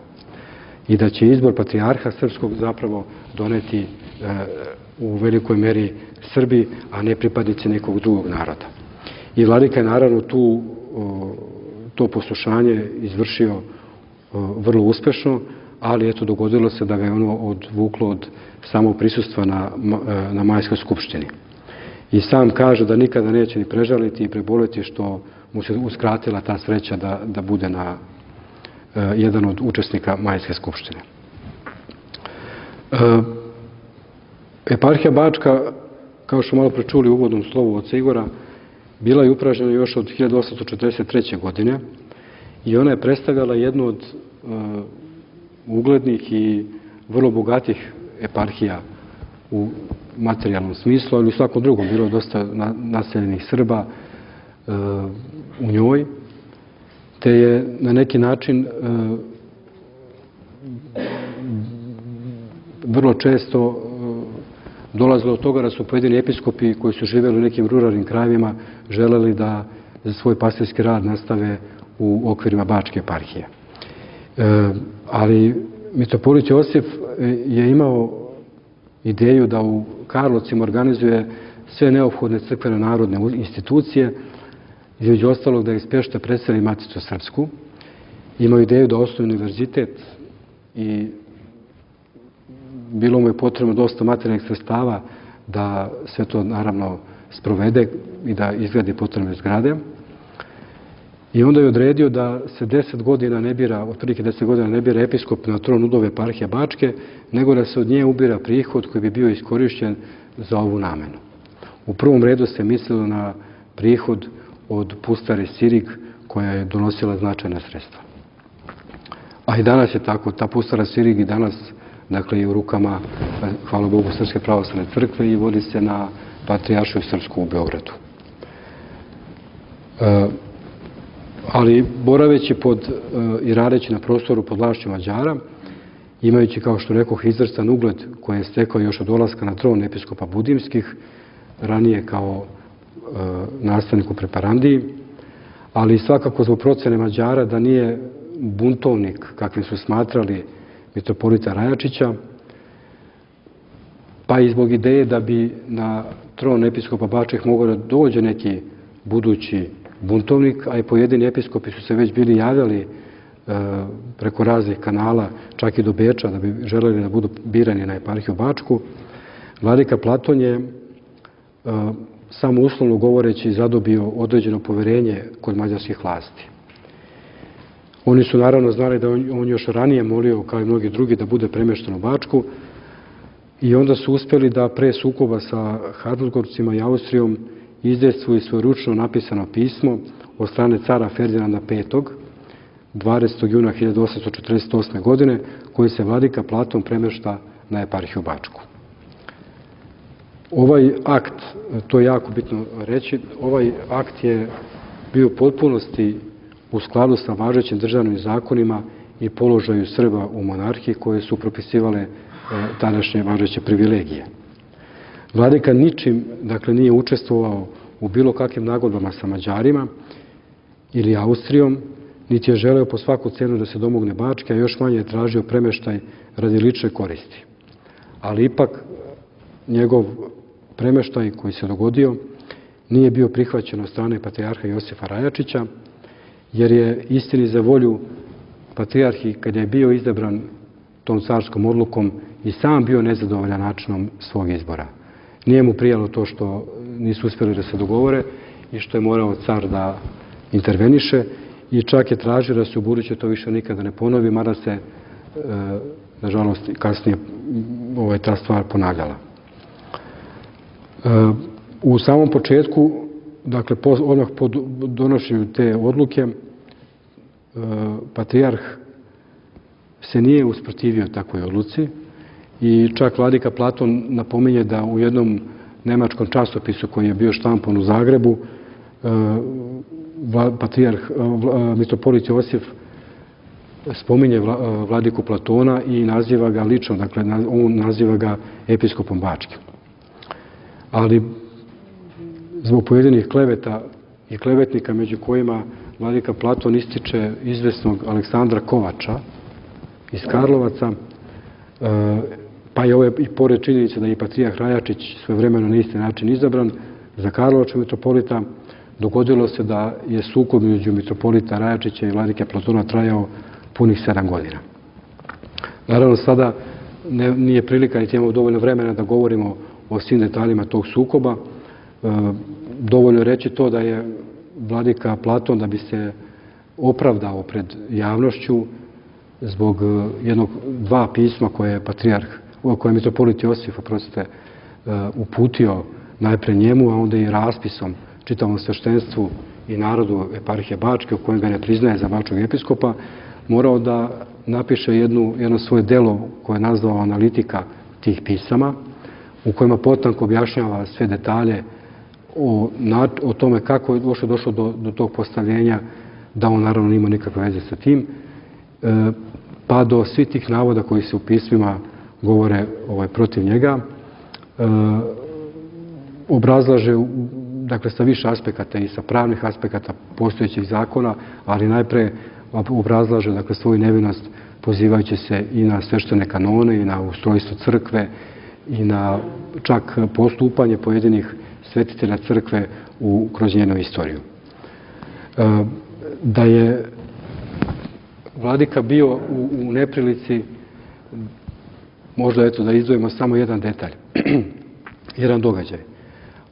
I da će izbor patrijarha srpskog zapravo doneti u velikoj meri Srbi, a ne pripadnici nekog drugog naroda. I vladika je naravno to poslušanje izvršio vrlo uspešno, ali eto, dogodilo se da ga je ono odvuklo od samog prisustva na Majskoj skupštini. I sam kaže da nikada neće ni prežaliti i preboleti što mu se uskratila ta sreća da bude jedan od učesnika Majske skupštine. Eparhija Bačka, kao što malo prečuli u uvodnom slovu oca Igora, bila je upražnjena još od 1843. godine i ona je predstavljala jednu od uglednih i vrlo bogatih eparhija u materijalnom smislu, ali u svakom drugom. Bilo je dosta naseljenih Srba u njoj, te je na neki način vrlo često dolazilo od toga da su pojedini episkopi koji su živjeli u nekim ruralnim krajevima želeli da za svoj pastirski rad nastave u okvirima Bačke eparhije. Ali mitropolit Josif je imao ideju da u Karlovcima organizuje sve neophodne crkveno narodne institucije, između ostalog da iz Pešte preseli Maticu Srpsku. Imao ideju da osnuje univerzitet i bilo mu je potrebno dosta materijalnih sredstava da sve to naravno sprovede i da izgradi potrebne zgrade. I onda je odredio da se 10 godina ne bira, otprilike 10 godina ne bira episkop na tron udove eparhije Bačke, nego da se od nje ubira prihod koji bi bio iskorišćen za ovu namenu. U prvom redu se mislilo na prihod od pustare Sirig, koja je donosila značajna sredstva. A i danas je tako, ta pustara Sirig i danas, dakle, i u rukama, hvala Bogu, Srpske pravoslavne crkve i vodi se na Patrijaršiju srpsku u Beogradu. Ali boraveći i radeći na prostoru pod vlašću Mađara, imajući, kao što rekoh, izvrstan ugled koji je stekao još od dolaska na tron episkopa Budimskih, ranije kao nastavnik u Preparandiji, ali svakako zbog procene Mađara da nije buntovnik, kakvim su smatrali mitropolita Rajačića, pa i zbog ideje da bi na tron episkopa Bačkih mogao da dođe neki budući buntovnik, a i pojedini episkopi su se već bili javljali preko raznih kanala, čak i do Beča, da bi želeli da budu birani na eparhiju Bačku. Vladika Platon je samo uslovno govoreći zadobio određeno poverenje kod mađarskih vlasti. Oni su naravno znali da on još ranije molio, kao i mnogi drugi, da bude premješten u Bačku i onda su uspjeli da pre sukoba sa Habsburgovcima i Austrijom izdejstvuju svoje ručno napisano pismo od strane cara Ferdinanda V. 20. juna 1848. godine, koji se vladika Platon premješta na eparhiju Bačku. Ovaj akt, to je jako bitno reći, ovaj akt je bio u potpunosti u skladu sa važećim državnim zakonima i položaju Srba u monarhiji koje su propisivale tadašnje važeće privilegije. Vladika ničim, dakle, nije učestvovao u bilo kakvim nagodbama sa Mađarima ili Austrijom, niti je želeo po svaku cenu da se domogne Bačke, a još manje je tražio premeštaj radi lične koristi. Ali ipak njegov premeštaj koji se dogodio nije bio prihvaćen od strane patrijarha Josifa Rajačića, jer je istini za volju patrijarhi, kada je bio izabran tom carskom odlukom, i sam bio nezadovoljan načinom svog izbora. Nije mu prijalo to što nisu uspjeli da se dogovore i što je morao car da interveniše i čak je tražio da se u buduće to više nikada ne ponovi, mada se, nažalost, kasnije ta stvar ponavljala. U samom početku, dakle, odmah po donošenju te odluke, patrijarh se nije usprotivio takvoj odluci i čak vladika Platon napominje da u jednom nemačkom časopisu koji je bio štampan u Zagrebu, mitropolit Josif spominje vladiku Platona i naziva ga lično, dakle, on naziva ga episkopom Bačkim. Ali zbog pojedinih kleveta i klevetnika, među kojima vladika Platon ističe izvesnog Aleksandra Kovača iz Karlovaca, pa je i pored činjenice da je i patrijarh Rajačić svojevremeno na isti način izabran za karlovačkog mitropolita, dogodilo se da je sukob među mitropolita Rajačića i vladike Platona trajao punih 7 godina. Naravno, sada nije prilika niti imamo dovoljno vremena da govorimo o svim detaljima tog sukoba. Dovoljno je reći to da je vladika Platon, da bi se opravdao pred javnošću zbog dva pisma koje je mitropolit Josif uputio najpre njemu, a onda i raspisom čitavom sveštenstvu i narodu eparhije Bačke, u kojem ga ne priznaje za bačkog episkopa, morao da napiše jedno svoje delo koje je nazvao analitika tih pisama, u kojima potanko objašnjava sve detalje o tome kako je došlo do tog postavljenja, da on naravno nima nikakve veze sa tim, pa do svih tih navoda koji se u pismima govore protiv njega, obrazlaže, dakle, sa više aspekata i sa pravnih aspekata postojećih zakona, ali najpre obrazlaže, dakle, svoju nevinost pozivajući se i na sveštene kanone i na ustrojstvo crkve i na čak postupanje pojedinih svetitelja crkve kroz njenu istoriju. Da je vladika bio u neprilici, možda da izdvojimo samo jedan detalj, jedan događaj.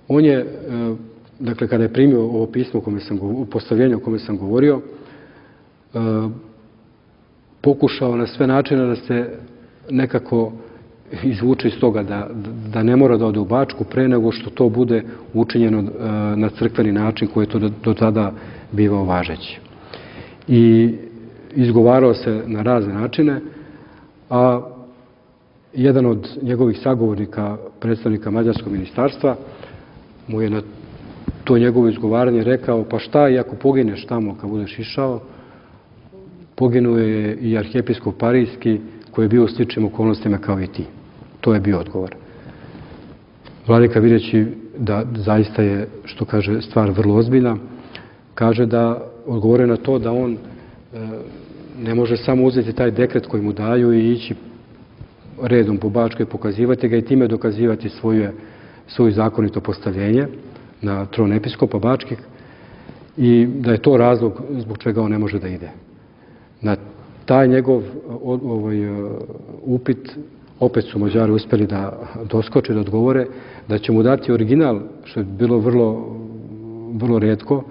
On je, dakle, kada je primio ovo pismo u postavljenju o kome sam govorio, pokušao na sve načine da se nekako izvuče iz toga, da ne mora da ode u Bačku pre nego što to bude učinjeno na crkveni način koji je to do tada bivao važeći. I izgovarao se na razne načine, a jedan od njegovih sagovornika, predstavnika Mađarskog ministarstva, mu je na to njegovo izgovaranje rekao: pa šta i ako pogineš tamo kad budeš išao? Poginuo je i arhijepiskop Parijski, koji je bio u sličnim okolnostima kao i ti. To je bio odgovor. Vladika, videći da zaista je, što kaže, stvar vrlo ozbiljna, kaže da odgovore na to da on ne može samo uzeti taj dekret koji mu daju i ići redom po Bačkoj, pokazivati ga i time dokazivati svoje zakonito postavljenje na tron episkopa Bačkih i da je to razlog zbog čega on ne može da ide. Na taj njegov upit opet su Mađari uspeli da doskoče, da odgovore, da će mu dati original, što je bilo vrlo retko,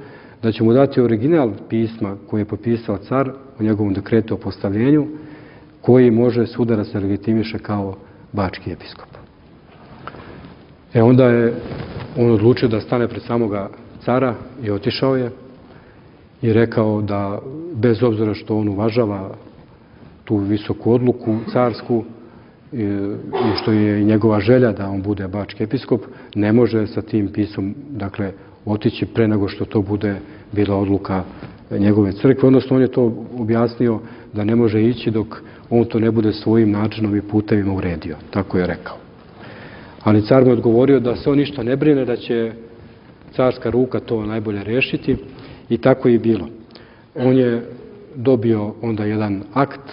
da će mu dati original pisma koji je potpisao car u njegovom dekretu o postavljenju, koji može svuda da se legitimiše kao bački episkop. Onda je on odlučio da stane pred samoga cara i otišao je i rekao da bez obzira što on uvažava tu visoku odluku carsku i što je njegova želja da on bude bački episkop, ne može sa tim pismom, dakle, otići pre nego što to bude bila odluka njegove crkve, odnosno on je to objasnio da ne može ići dok on to ne bude svojim načinom i putevima uredio, tako je rekao. Ali car mu je odgovorio da se on ništa ne brine, da će carska ruka to najbolje rešiti i tako je i bilo. On je dobio onda jedan akt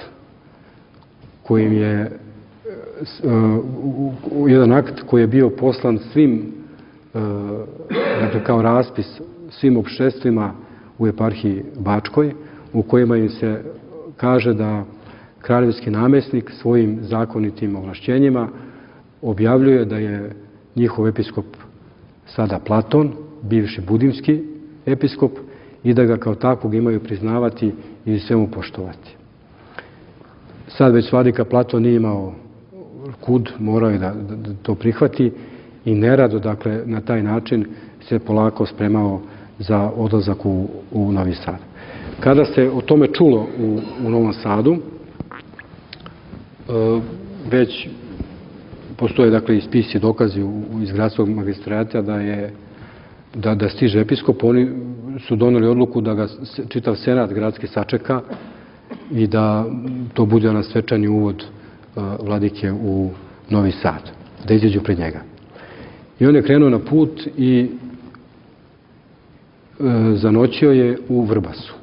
koji je bio poslan svim, dakle, kao raspis svim opštestvima u eparhiji Bačkoj, u kojima im se kaže da kraljevski namesnik svojim zakonitim ovlašćenjima objavljuje da je njihov episkop sada Platon, bivši budimski episkop, i da ga kao takvog imaju priznavati i svemu poštovati. Sad već vladika Platon nije imao kud, morao je da to prihvati i nerado, dakle, na taj način se polako spremao za odlazak u Novi Sad. Kada se o tome čulo u Novom Sadu, već postoje, dakle, i spisi i dokazi iz gradskog magistrata da stiže episkop. Oni su doneli odluku da ga čitav senat gradski sačeka i da to bude na svečani uvod vladike u Novi Sad, da izađu pred njega. I on je krenuo na put i zanoćio je u Vrbasu.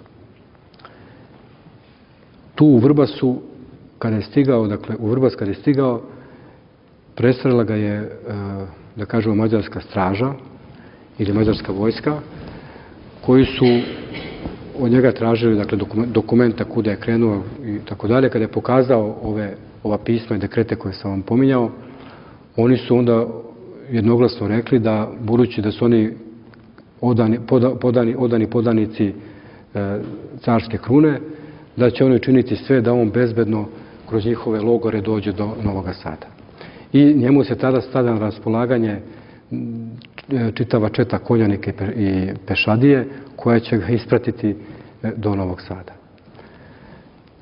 Tu u Vrbasu, kada je stigao, dakle, u Vrbas kada je stigao, presrela ga je, da kažemo, mađarska straža ili mađarska vojska, koji su od njega tražili, dakle, dokumenta kuda je krenuo i tako dalje. Kada je pokazao ova pisma i dekrete koje sam vam pominjao, oni su onda jednoglasno rekli da, budući da su oni odani podanici carske krune, da će oni činiti sve da on bezbedno kroz njihove logore dođe do Novog Sada. I njemu se tada stavlja na raspolaganje čitava četa konjanika i pešadije koja će ga ispratiti do Novog Sada.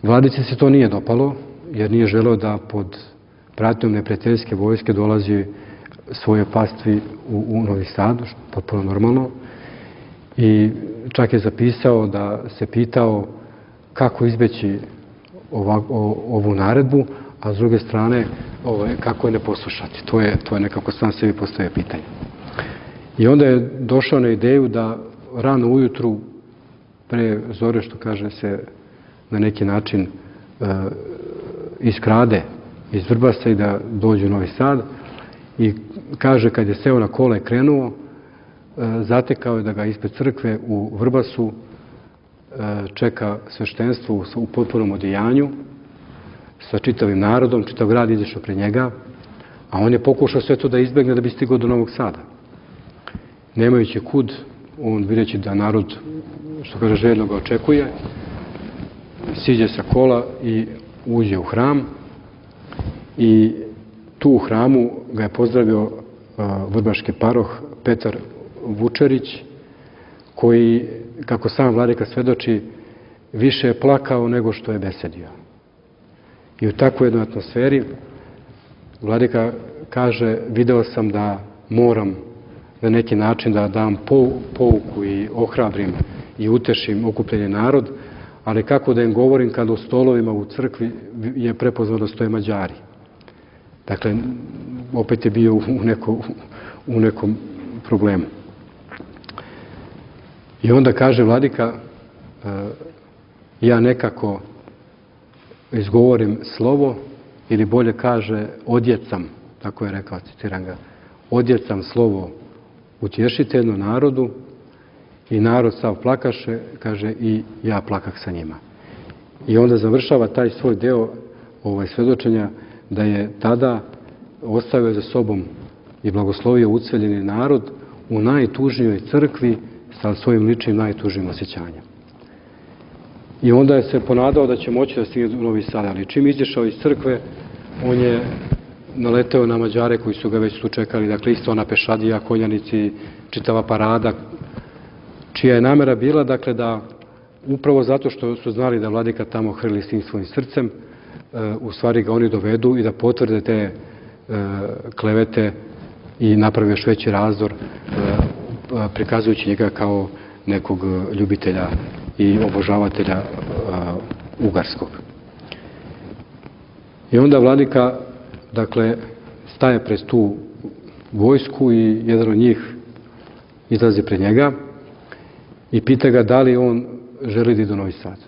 Vladici se to nije dopalo, jer nije želeo da pod pratnjom neprijateljske vojske dolazi svoje pastvi u Novi Sad, potpuno normalno. I čak je zapisao da se pitao kako izbeći ovu naredbu, a s druge strane kako je ne poslušati. To je nekako sam sebi postavio pitanje. I onda je došao na ideju da rano ujutru, pre zore, što kaže, se na neki način iskrade iz Vrbasa i da dođe u Novi Sad. I kaže, kad je seo na kola i krenuo, zatekao je da ga ispred crkve u Vrbasu čeka sveštenstvo u potpunom odejanju sa čitavim narodom, čitav grad izašao pred njega, a on je pokušao sve to da izbegne da bi stigao do Novog Sada. Nemajući kud, on videći da narod, što kaže, željno ga očekuje, siđe sa kola i uđe u hram i tu u hramu ga je pozdravio vrbaški paroh Petar Vučerić, koji, kako sam vladika svedoči, više je plakao nego što je besedio. I u takvoj jednoj atmosferi vladika kaže, video sam da moram na neki način da dam pouku i ohrabrim i utešim okupljeni narod, ali kako da im govorim kada u stolovima u crkvi je prepoznao da stoje Mađari. Dakle, opet je bio u nekom problemu. I onda kaže vladika, ja nekako izgovorim slovo, ili bolje kaže, odjecam, tako je rekao, citiram ga, odjecam slovo utješiteljno narodu i narod sav plakaše, kaže, i ja plakah sa njima. I onda završava taj svoj deo svedočenja da je tada ostavio za sobom i blagoslovio uceljeni narod u najtužnijoj crkvi sa svojim ličnim najtužnijim osjećanjem. I onda je se ponadao da će moći da stigne u Novi Sad, ali čim izašao iz crkve, on je naleteo na Mađare koji su ga već tu čekali, dakle isto ona pešadija, konjanici, čitava parada, čija je namera bila, dakle, da upravo zato što su znali da vladika tamo hrli s tim svojim srcem, u stvari ga oni dovedu i da potvrde te klevete i naprave još veći razdor, prikazujući njega kao nekog ljubitelja i obožavatelja ugarskog. I onda vladika, dakle, staje pred tu vojsku i jedan od njih izlazi pred njega i pita ga da li on želi da ide u Novi Sad.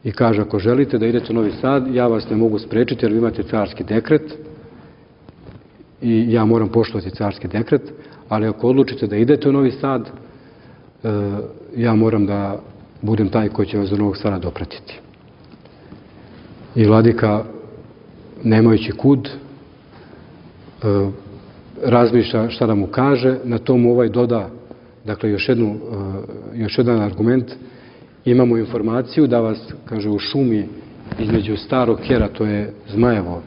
I kaže, ako želite da idete u Novi Sad, ja vas ne mogu sprečiti jer vi imate carski dekret i ja moram poštovati carski dekret, ali ako odlučite da idete u Novi Sad, ja moram da budem taj koji će vas do Novog Sada dopratiti. I vladika, nemajući kud, razmišlja šta da mu kaže, na tomu ovaj doda, dakle, još jedan argument, imamo informaciju da vas, kaže, u šumi između Starog Kera, to je Zmajevo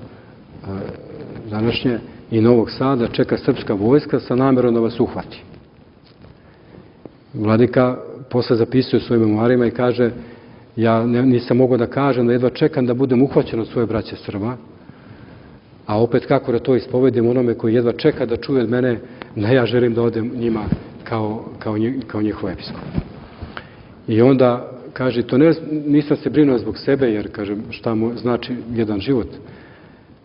današnje, i Novog Sada čeka srpska vojska sa namerom da vas uhvati. Vladika posle zapisuje u svojim memoarima i kaže: ja nisam mogao da kažem da jedva čekam da budem uhvaćen od svoje braće Srba, a opet kako da to ispovedim onome koji jedva čeka da čuje od mene da ja želim da odem njima kao njihov episkop. I onda kaže, to nisam se brinuo zbog sebe, jer kažem šta mu znači jedan život,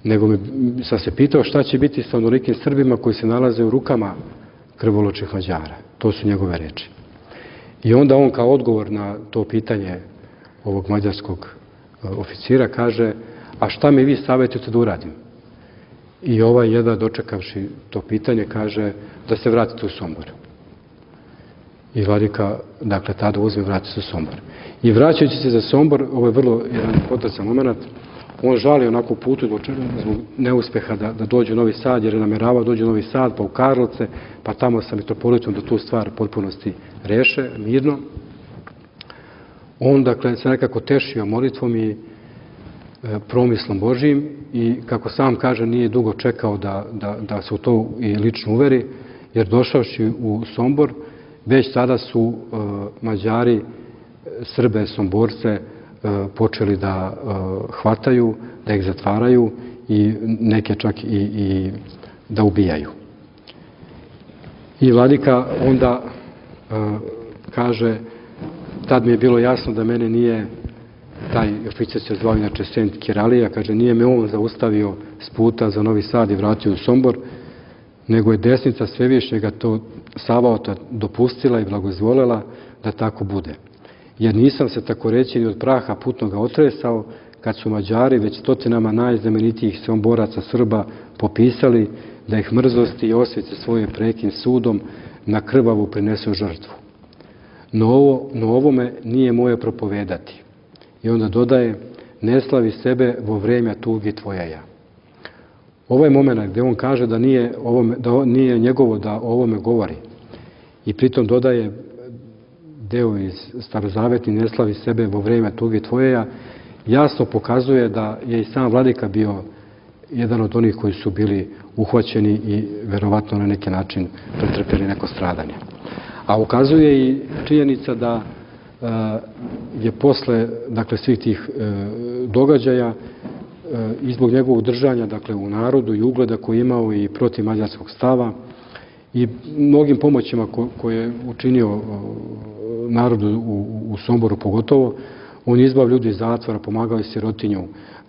nego sam se pitao šta će biti sa onolikim Srbima koji se nalaze u rukama krvoločnih Mađara. To su njegove reči. I onda on kao odgovor na to pitanje ovog mađarskog oficira kaže: a šta mi vi savjetujete da uradim? I ovaj jedva dočekavši to pitanje kaže da se vratite u Sombor. I vladika, dakle, tada uzme i vrati se u Sombor. I vraćajući se za Sombor, ovo je vrlo jedan potrasan moment, on žali onako putu zbog neuspeha da dođe u Novi Sad, jer je nameravao dođe u Novi Sad, pa u Karlovce, pa tamo sa mitropolitom da tu stvar potpunosti reše, mirno. On, dakle, se nekako tešio molitvom i promislom Božijim i, kako sam kaže, nije dugo čekao da se u to i lično uveri, jer došavši u Sombor, već tada su Mađari, Srbe, Somborce počeli da hvataju, da ih zatvaraju i neke čak i da ubijaju. I vladika onda kaže: tad mi je bilo jasno da mene nije, taj oficir se zvao inače Sent Kiralija, kaže, nije me on zaustavio s puta za Novi Sad i vratio u Sombor, nego je desnica Svevišnjega to Savaota dopustila i blagozvolela da tako bude. Jer nisam se, tako reći, ni od praha putnoga otresao, kad su Mađari već stotinama najznamenitijih Somboraca Srba popisali da ih mrzosti i osvice svoje prekim sudom na krvavu prinesu žrtvu. No ovome nije moje propovedati. I onda dodaje: ne slavi sebe vo vremja tugi tvojeja. Ovaj moment gdje on kaže da nije njegovo da o ovome govori i pritom dodaje deo iz Starozavetni: ne slavi sebe vo vremja tugi tvojeja, jasno pokazuje da je i sam vladika bio jedan od onih koji su bili uhvaćeni i verovatno na neki način pretrpjeli neko stradanje. A ukazuje i činjenica da je posle, dakle, svih tih događaja i zbog njegovog držanja, dakle, u narodu i ugleda koji je imao i protiv mađarskog stava i mnogim pomoćima koje je učinio narodu u Somboru pogotovo, on je izbavio ljudi iz zatvora, pomagao je sirotinju.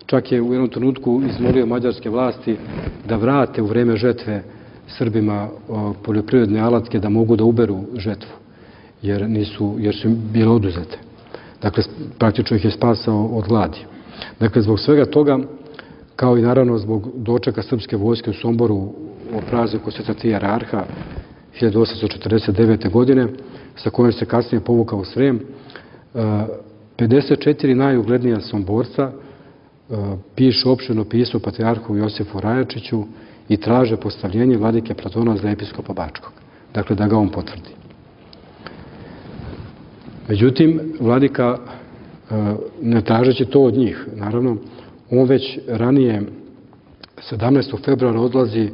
Čak je u jednom trenutku izmolio mađarske vlasti da vrate u vreme žetve Srbima poljoprivredne alatke da mogu da uberu žetvu, jer su im bile oduzete. Dakle, praktično ih je spasao od gladi. Dakle, zbog svega toga, kao i naravno zbog dočeka srpske vojske u Somboru o prazniku Sveta Tri Jararha 1849. godine, sa kojom se kasnije povukao u Srem, 54 najuglednija Somborca pišu opširno pismo patrijarhu Josifu Rajačiću i traže postavljenje vladike Platona za episkopa Bačkog. Dakle, da ga on potvrdi. Međutim, vladika, ne tražeći to od njih, naravno, on već ranije, 17. februara odlazi,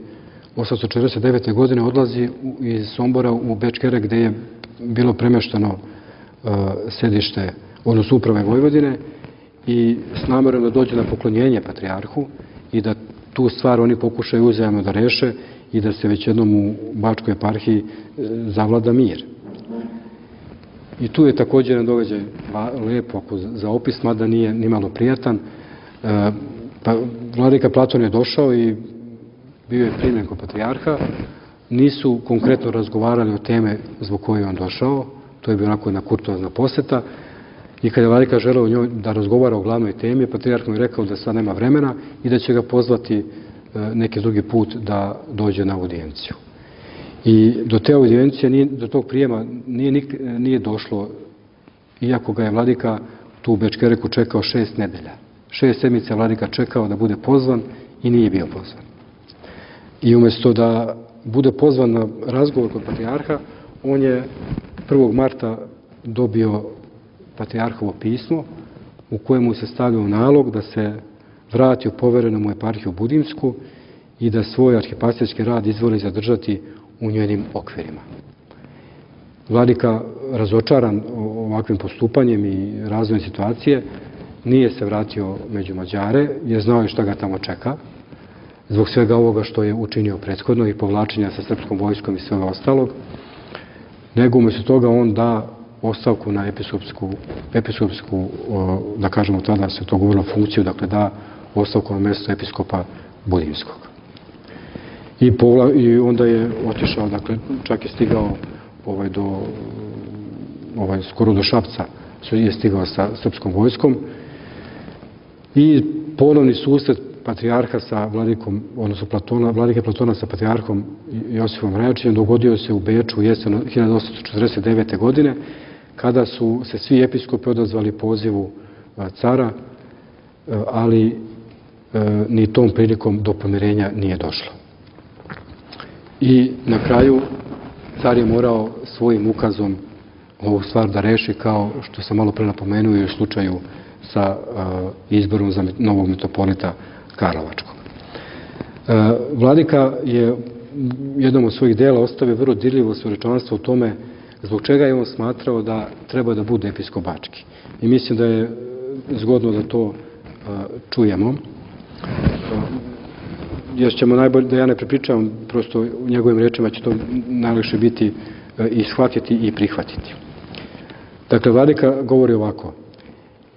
1849. godine odlazi iz Sombora u Bečkerek, gde je bilo premešteno sedište, odnosno uprave Vojvodine, i s namerom da dođe na poklonjenje patrijarhu i da tu stvar oni pokušaju uzajamno da reše i da se već jednom u Bačkoj eparhiji zavlada mir. I tu je također jedan događaj lepo za opis, mada nije nimalo prijatan. Vladika Platon je došao i bio je primljen kod patrijarha. Nisu konkretno razgovarali o teme zbog koje je on došao. To je bio onako jedna kurtoazna poseta. I kada je vladika želeo njoj da razgovara o glavnoj temi, patrijarh mu je rekao da sad nema vremena i da će ga pozvati neki drugi put da dođe na audijenciju. I do te audijencije, do tog prijema nije došlo, iako ga je vladika tu u Bečkereku čekao 6 nedelja. 6 sedmica vladika čekao da bude pozvan i nije bio pozvan. I umjesto da bude pozvan na razgovor kod patrijarha, on je 1. marta dobio patrijarhovo pismo u kojemu se stavljao nalog da se vrati u poverenu mu eparhiju Budimsku i da svoj arhipastirski rad izvoli zadržati u njenim okvirima. Vladika, razočaran ovakvim postupanjem i razvojem situacije, nije se vratio među Mađare, jer znao je šta ga tamo čeka, zbog svega ovoga što je učinio prethodno i povlačenja sa srpskom vojskom i svega ostalog, nego umjesto toga on da ostavku na episkopsku, da kažemo tada se to govorilo, funkciju, dakle da ostavku na mjesto episkopa Budimskog. I onda je otišao, dakle čak je stigao skoro do Šapca, je stigao sa srpskom vojskom i ponovni susret patrijarha sa vladikom, odnosno vladike Platona sa patrijarhom Josifom Rajačićem dogodio se u Beču u jesen 1849. godine, kada su se svi episkopi odazvali pozivu cara, ali ni tom prilikom do pomirenja nije došlo. I na kraju car je morao svojim ukazom ovu stvar da reši, kao što sam malo pre napomenuo i u slučaju sa izborom za novog metropolita Karlovačkog. Vladika je jednom od svojih dela ostavio vrlo dirljivo svjedočanstvo u tome zbog čega je on smatrao da treba da bude episkop Bački. I mislim da je zgodno da to čujemo. Jer ćemo najbolje, da ja ne prepričavam, prosto u njegovim rečima će to najlakše biti i shvatiti i prihvatiti. Dakle, vladika govori ovako: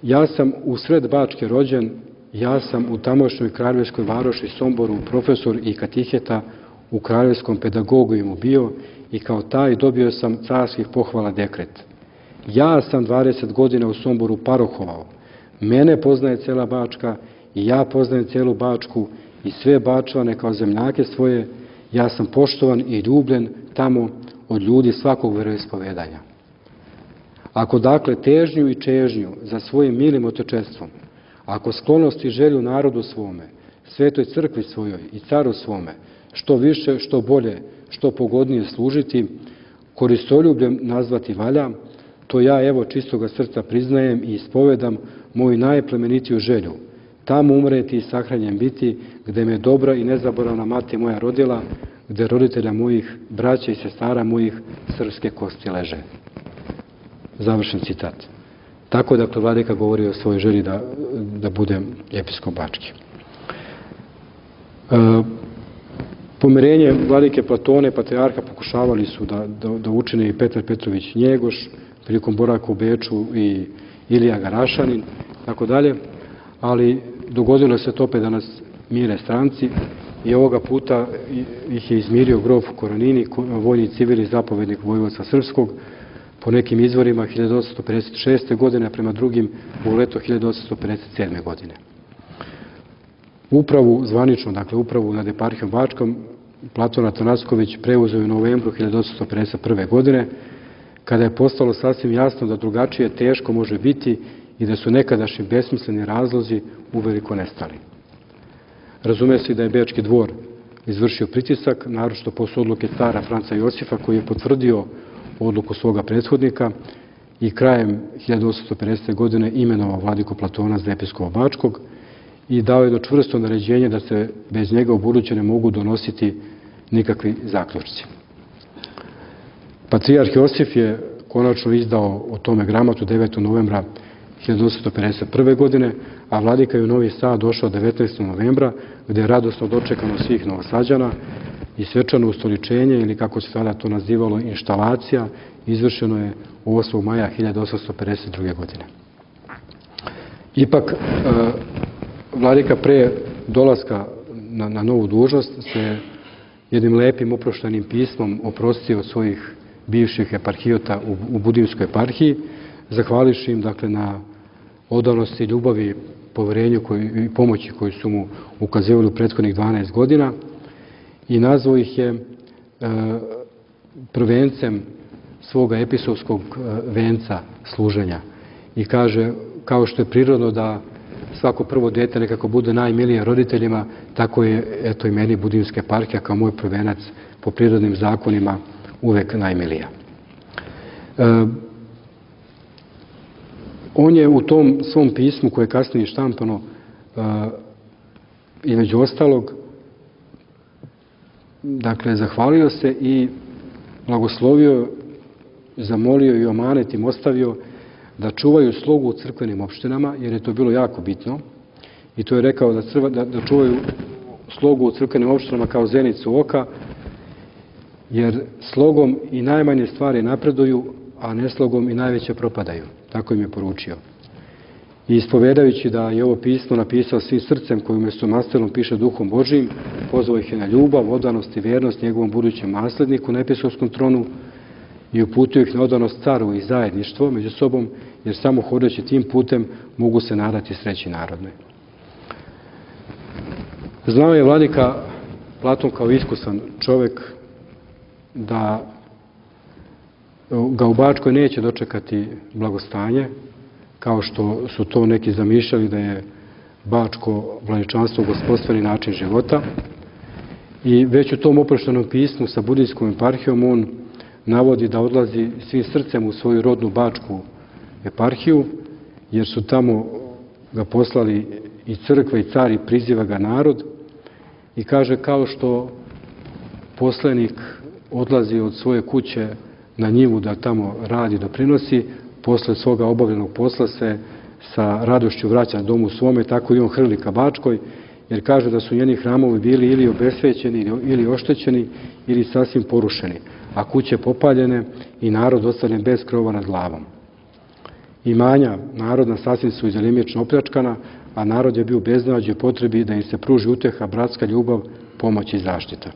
ja sam u sred Bačke rođen, ja sam u tamošnjoj kraljevskoj varoši Somboru profesor i katiheta, u kraljevskom pedagogijemu bio i kao taj dobio sam carskih pohvala dekret. Ja sam 20 godina u Somboru parohovao, mene poznaje cela Bačka i ja poznajem celu Bačku i sve Bačvane kao zemljake svoje, ja sam poštovan i ljubljen tamo od ljudi svakog veroispovedanja. Ako dakle težnju i čežnju za svojim milim otečestvom, ako sklonost i želju narodu svome, svetoj crkvi svojoj i caru svome, što više, što bolje, što pogodnije služiti, koristoljubljem nazvati valja, to ja evo čistoga srca priznajem i ispovedam moju najplemenitiju želju, tamo umreti i sahranjen biti, gde me dobra i nezaboravna mati moja rodila, gde roditelja mojih, braća i sestara mojih srpske kosti leže. Završen citat. Tako dakle vladika govori o svojoj želji da bude episkop Bački. Pomirenje vladike Platone, patrijarha, pokušavali su da učine i Petar Petrović Njegoš, prilikom boravka u Beču i Ilija Garašanin, tako dalje, ali dogodilo se to opet da nas mire stranci i ovoga puta ih je izmirio grof Koranini, vojni civili zapovednik vojvodstva srpskog, po nekim izvorima 1856. godine, a prema drugim u leto 1857. godine. Upravu, zvanično, dakle upravu nad eparhijom Bačkom, Platon Atanasković preuzeo u novembru 1851. godine, kada je postalo sasvim jasno da drugačije teško može biti i da su nekadašnji besmisleni razlozi uveliko nestali. Razume se da je Bečki dvor izvršio pritisak, naročito posle odluke cara Franca Josifa, koji je potvrdio odluku svoga prethodnika i krajem 1850. godine imenovao vladiku Platona za episkopa Bačkog i dao je do čvrsto naređenje da se bez njega u buduće ne mogu donositi nikakvi zaključci. Patrijarh Josif je konačno izdao o tome gramatu 9. novembra 1851. godine, a vladika je u Novi Sad došao 19. novembra, gde je radosno dočekano svih Novosađana i svečano ustoličenje, ili kako se tada to nazivalo, inštalacija, izvršeno je 8. maja 1852. godine. Ipak, vladika pre dolaska na novu dužnost se jednim lepim oproštenim pismom oprostio od svojih bivših eparhijota u Budimskoj eparhiji, zahvališi im dakle na odanosti, ljubavi, poverenju i pomoći koju su mu ukazivali u prethodnih 12 godina i nazvao ih je prvencem svoga episkopskog venca služenja. I kaže, kao što je prirodno da svako prvo dete nekako bude najmilije roditeljima, tako je eto i meni Budimska eparhija kao moj prvenac po prirodnim zakonima uvek najmilija. On je u tom svom pismu, koje je kasnije štampano, između ostalog, dakle, zahvalio se i blagoslovio, zamolio i omanet im ostavio da čuvaju slogu u crkvenim opštinama, jer je to bilo jako bitno. I to je rekao da čuvaju slogu u crkvenim opštinama kao zenicu oka, jer slogom i najmanje stvari napreduju, a neslogom i najveće propadaju. Tako im je poručio. I ispovedajući da je ovo pismo napisao svim srcem, koji umjesto mastelom piše duhom Božijim, pozvao ih je na ljubav, odanost i vjernost njegovom budućem nasledniku na episkopskom tronu i uputio ih na odanost caru i zajedništvo među sobom, jer samo hodeći tim putem mogu se nadati sreći narodnoj. Znao je vladika Platon kao iskusan čovjek da ga u Bačkoj neće dočekati blagostanje, kao što su to neki zamišljali da je Bačko vladičanstvo gospodstveni način života. I već u tom oproštenom pismu sa budijskom eparhijom on navodi da odlazi svim srcem u svoju rodnu Bačku eparhiju, jer su tamo ga poslali i crkva i car i priziva ga narod. I kaže, kao što poslanik odlazi od svoje kuće na njivu da tamo radi, doprinosi, posle svoga obavljenog posla se sa radošću vraća domu svome, tako i on hrli ka Bačkoj, jer kaže da su njeni hramovi bili ili obesvećeni, ili oštećeni, ili sasvim porušeni, a kuće popaljene i narod ostavljen bez krova nad glavom. Imanja narodna sasvim su izjelimično opljačkana, a narod je bio u beznađu i potrebi da im se pruži uteha, bratska ljubav, pomoć i zaštita.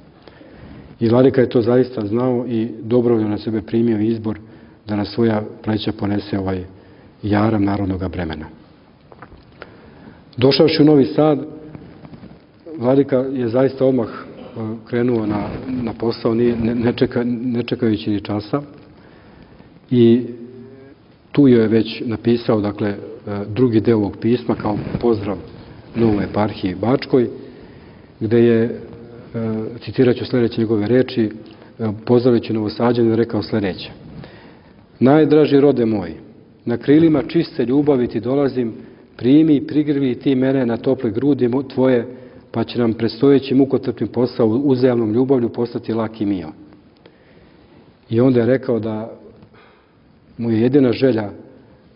I vladika je to zaista znao i dobrovoljno na sebe primio izbor da na svoja pleća ponese ovaj jaram narodnog bremena. Došavši u Novi Sad, vladika je zaista odmah krenuo na posao, ne čekajući ni časa, i tu je već napisao, dakle, drugi deo ovog pisma kao pozdrav novoj eparhiji Bačkoj, gde je, citirat ću sljedeće njegove reči, pozdravljajući Novosađane, rekao sljedeće: najdraži rode moj, na krilima čiste ljubavi ti dolazim, primi i prigrli ti mene na tople grudi tvoje, pa će nam predstojeći mukotrpni posao uzajamnom ljubavlju postati lak i mio. I onda je rekao da mu je jedina želja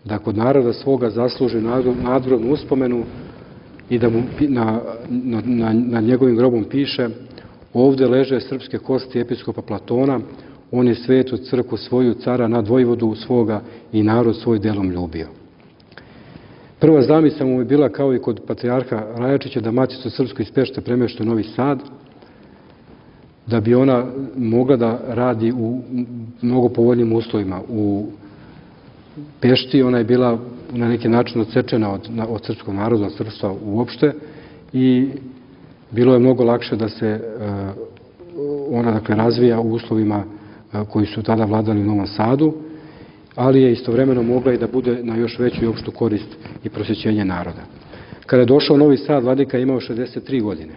da kod naroda svoga zasluži nadgrobnu uspomenu i da mu na njegovim grobom piše: ovde leže srpske kosti episkopa Platona, on je svetu crkvu svoju, cara nad vojvodu svoga i narod svoj delom ljubio. Prva zamisao mu je bila, kao i kod patrijarha Rajačića, da Maticu srpsku iz Pešte premešta u Novi Sad, da bi ona mogla da radi u mnogo povoljnim uslovima. U Pešti ona je bila na neki način odsečena od srpskog naroda, od srpstva uopšte, i bilo je mnogo lakše da se ona, dakle, razvija u uslovima koji su tada vladali u Novom Sadu, ali je istovremeno mogla i da bude na još veću i opštu korist i prosvećenje naroda. Kada je došao u Novi Sad, vladika je imao 63 godine.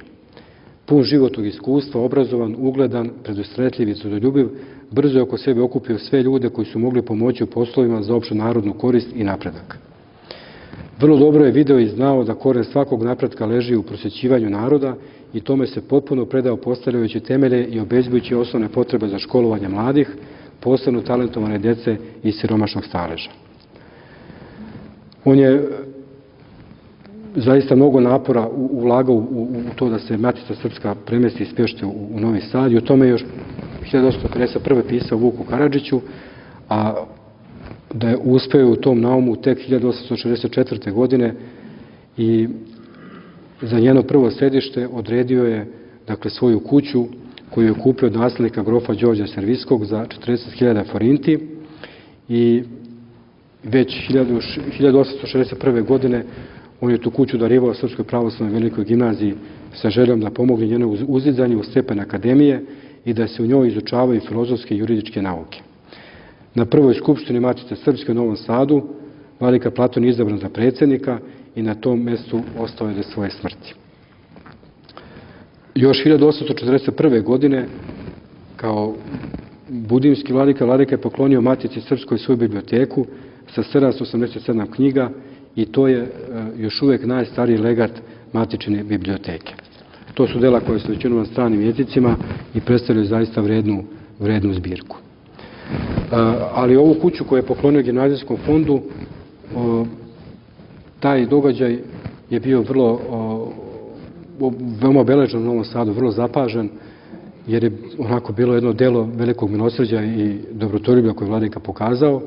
Pun životnog iskustva, obrazovan, ugledan, predusretljiv i trudoljubiv, brzo je oko sebe okupio sve ljude koji su mogli pomoći u poslovima za opštu narodnu korist i napredak. Vrlo dobro je video i znao da koren svakog napretka leži u prosvećivanju naroda i tome se potpuno predao, postavljajući temelje i obezbeđujući osnovne potrebe za školovanje mladih, posebno talentovane djece iz siromašnog staleža. On je zaista mnogo napora ulagao u to da se Matica srpska premesti iz Pešte u Novi Sad, i o tome još 1851. pisao Vuku Karadžiću, a da je uspeo u tom naumu tek 1864. godine i za njeno prvo sedište odredio je, dakle, svoju kuću koju je kupio od naslednika grofa Đorđa Serviskog za 40.000 forinti, i već 1861. godine on je tu kuću darivao Srpskoj pravoslavnoj velikoj gimnaziji sa željom da pomogne njeno uzizanju u stepen akademije i da se u njoj izučavaju filozofske i juridičke nauke. Na prvoj skupštini Matice srpske u Novom Sadu vladika Platon je izabran za predsjednika i na tom mjestu ostao je do svoje smrti. Još 1841. godine, kao budimski vladika je poklonio Matici srpskoj svoju biblioteku sa 787 knjiga, i to je još uvijek najstariji legat Matičine biblioteke. To su dela koje su većinom na stranim jezicima i predstavljaju zaista vrednu zbirku. Ali ovu kuću koju je poklonio Gimnazijskom fondu, taj događaj je bio veoma obeležen u Novom Sadu, vrlo zapažen, jer je onako bilo jedno delo velikog milosrđa i dobrotoljublja koje je vladika pokazao,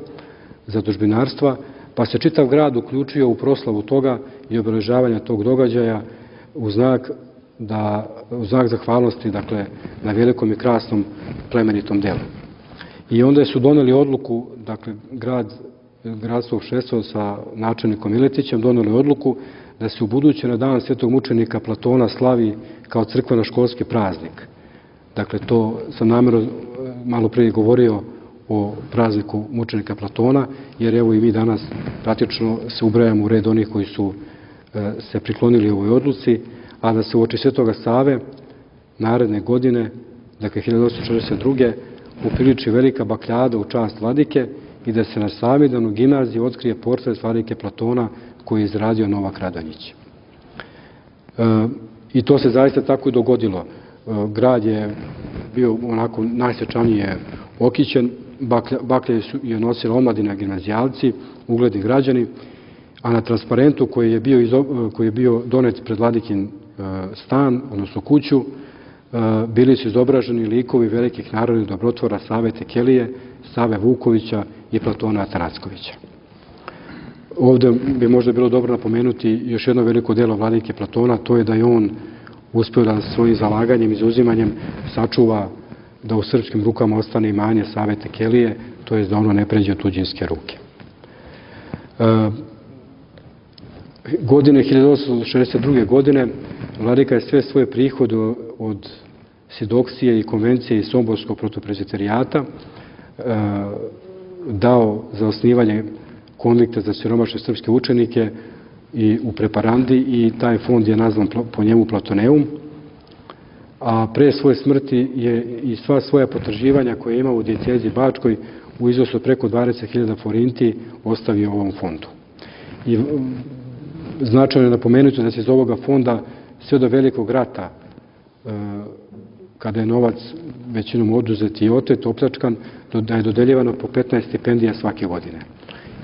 zadužbinarstva, pa se čitav grad uključio u proslavu toga i obeležavanja tog događaja u znak zahvalnosti, dakle, na velikom i krasnom plemenitom delu. I onda su doneli odluku, dakle, gradsko opštenstvo sa načelnikom Miletićem doneli odluku da se ubuduće na dan svetog mučenika Platona slavi kao crkveno-školski praznik. Dakle, to sam namjerno malo prije govorio o prazniku mučenika Platona, jer evo i mi danas praktično se ubrajamo u red onih koji su se priklonili ovoj odluci, a da se uoči Svetoga Save naredne godine, dakle 1842. upriliči velika bakljada u čast vladike i da se na Savidan u gimnaziji otkrije portret vladike Platona koji je izradio Novak Radonjić. I to se zaista tako i dogodilo. Grad je bio onako najsvečanije okićen, baklje je nosila omladina, gimnazijalci, ugledni građani, a na transparentu koji je bio donet pred vladikin stan, odnosno kuću, bili su izobraženi likovi velikih narodnih dobrotvora Save Tekelije, Save Vukovića i Platona Atanackovića. Ovde bi možda bilo dobro napomenuti još jedno veliko delo vladike Platona, to je da je on uspeo da svojim zalaganjem i zauzimanjem sačuva da u srpskim rukama ostane imanje Save Tekelije, to je da ono ne pređe u tuđinske ruke. Godine 1862. godine vladika je sve svoje prihode od Sidoksije i konvencije i Somborskog protoprezbiterijata dao za osnivanje konvikta za siromašne srpske učenike i u Preparandi i taj fond je nazvan po njemu Platoneum, a pre svoje smrti je i sva svoja potraživanja koje je imao u dijecezi Bačkoj u iznosu od preko 20.000 forinti ostavio ovom fondu. I značajno je napomenuti da se iz ovoga fonda sve do velikog rata, kada je novac većinom oduzet i otet, opljačkan, da je dodeljivano po 15 stipendija svake godine.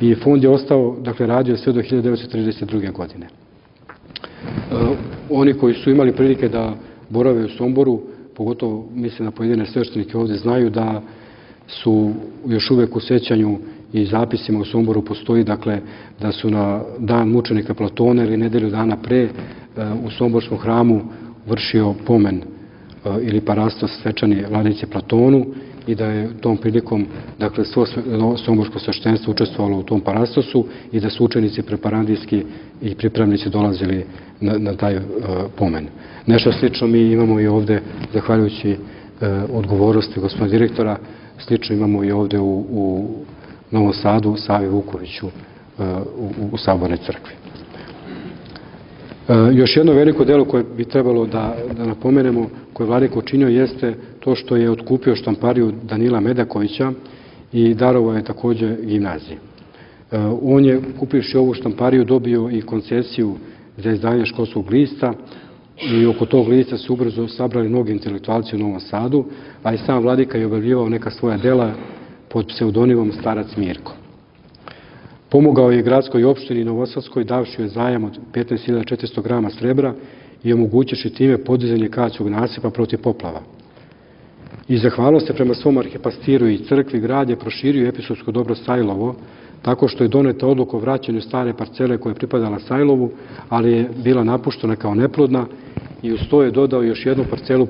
I fond je ostao, dakle, radio sve do 1932. godine. Oni koji su imali prilike da borave u Somboru, pogotovo mislim na pojedine sveštenike ovde, znaju da su još uvek u sećanju i zapisima u Somboru postoji, dakle, da su na dan mučenika Platona ili nedelju dana pre u Somborskom hramu vršio pomen ili parastos svečani vladici Platonu i da je tom prilikom, dakle, svo somborsko sveštenstvo učestvovalo u tom parastosu i da su učenici preparandijski i pripravnici dolazili na taj pomen. Nešto slično mi imamo i ovde, zahvaljujući odgovornosti gospodina direktora, slično imamo i ovde u Novom Sadu, Savi Vukoviću u Sabornoj crkvi. Još jedno veliko delo koje bi trebalo da napomenemo, koje je vladika učinio, jeste to što je otkupio štampariju Danila Medakovića i darovao je takođe gimnaziji. On je, kupivši ovu štampariju, dobio i koncesiju za izdanje školskog lista i oko tog lista su ubrzo sabrali mnogi intelektualci u Novom Sadu, a i sam vladika je objavljivao neka svoja dela pod pseudonimom Starac Mirko. Pomogao je gradskoj opštini Novosadskoj davši joj zajam od 15.400 grama srebra i omogućivši time podizanje Kaćog nasipa protiv poplava. I zahvalio se prema svom arhipastiru i crkvi, grad je proširio episkopsko dobro Sajlovo, tako što je doneta odluka o vraćanju stare parcele koja je pripadala Sajlovu, ali je bila napuštena kao neplodna i uz to je dodao još jednu parcelu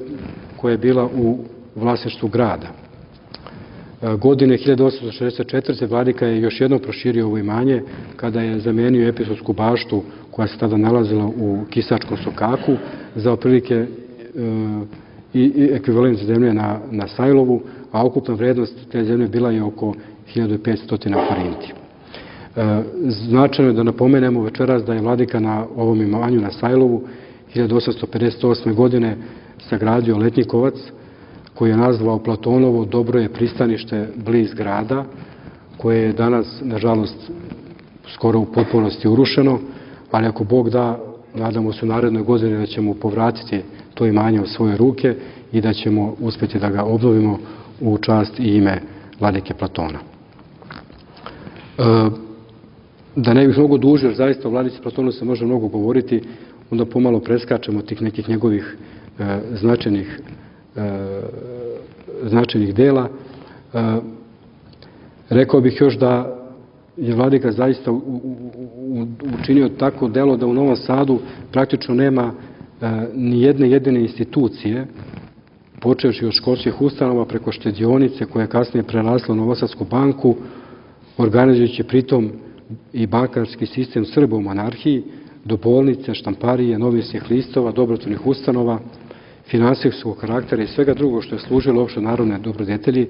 koja je bila u vlasništvu grada. Godine 1864. vladika je još jednom proširio ovo imanje kada je zamenio episkopsku baštu koja se tada nalazila u Kisačkom sokaku za otprilike i ekvivalent zemlje na Sajlovu, a ukupna vrednost te zemlje bila je oko 1500 forinti. Značajno je da napomenemo večeras da je vladika na ovom imanju na Sajlovu 1858. godine sagradio letnjikovac koji je nazvao Platonovo dobro je pristanište bliz grada, koje je danas, nažalost, skoro u potpunosti urušeno, ali ako Bog da, nadamo se u narednoj godini da ćemo povratiti to imanje u svoje ruke i da ćemo uspjeti da ga obnovimo u čast i ime vladike Platona. Da ne bih mnogo dužio, jer zaista o vladici Platonu se može mnogo govoriti, onda pomalo preskačemo tih nekih njegovih značajnih dela. Rekao bih još da je vladika zaista učinio tako delo da u Novom Sadu praktično nema ni jedne jedine institucije, počevši od školskih ustanova preko štedionice koja je kasnije prerasla u Novosadsku banku, organizujući pritom i bankarski sistem Srba u monarhiji, do bolnice, štamparije, novinskih listova, dobrotvornih ustanova, finansijskog karaktera i svega drugog što je služilo opšte narodne dobrodetelji,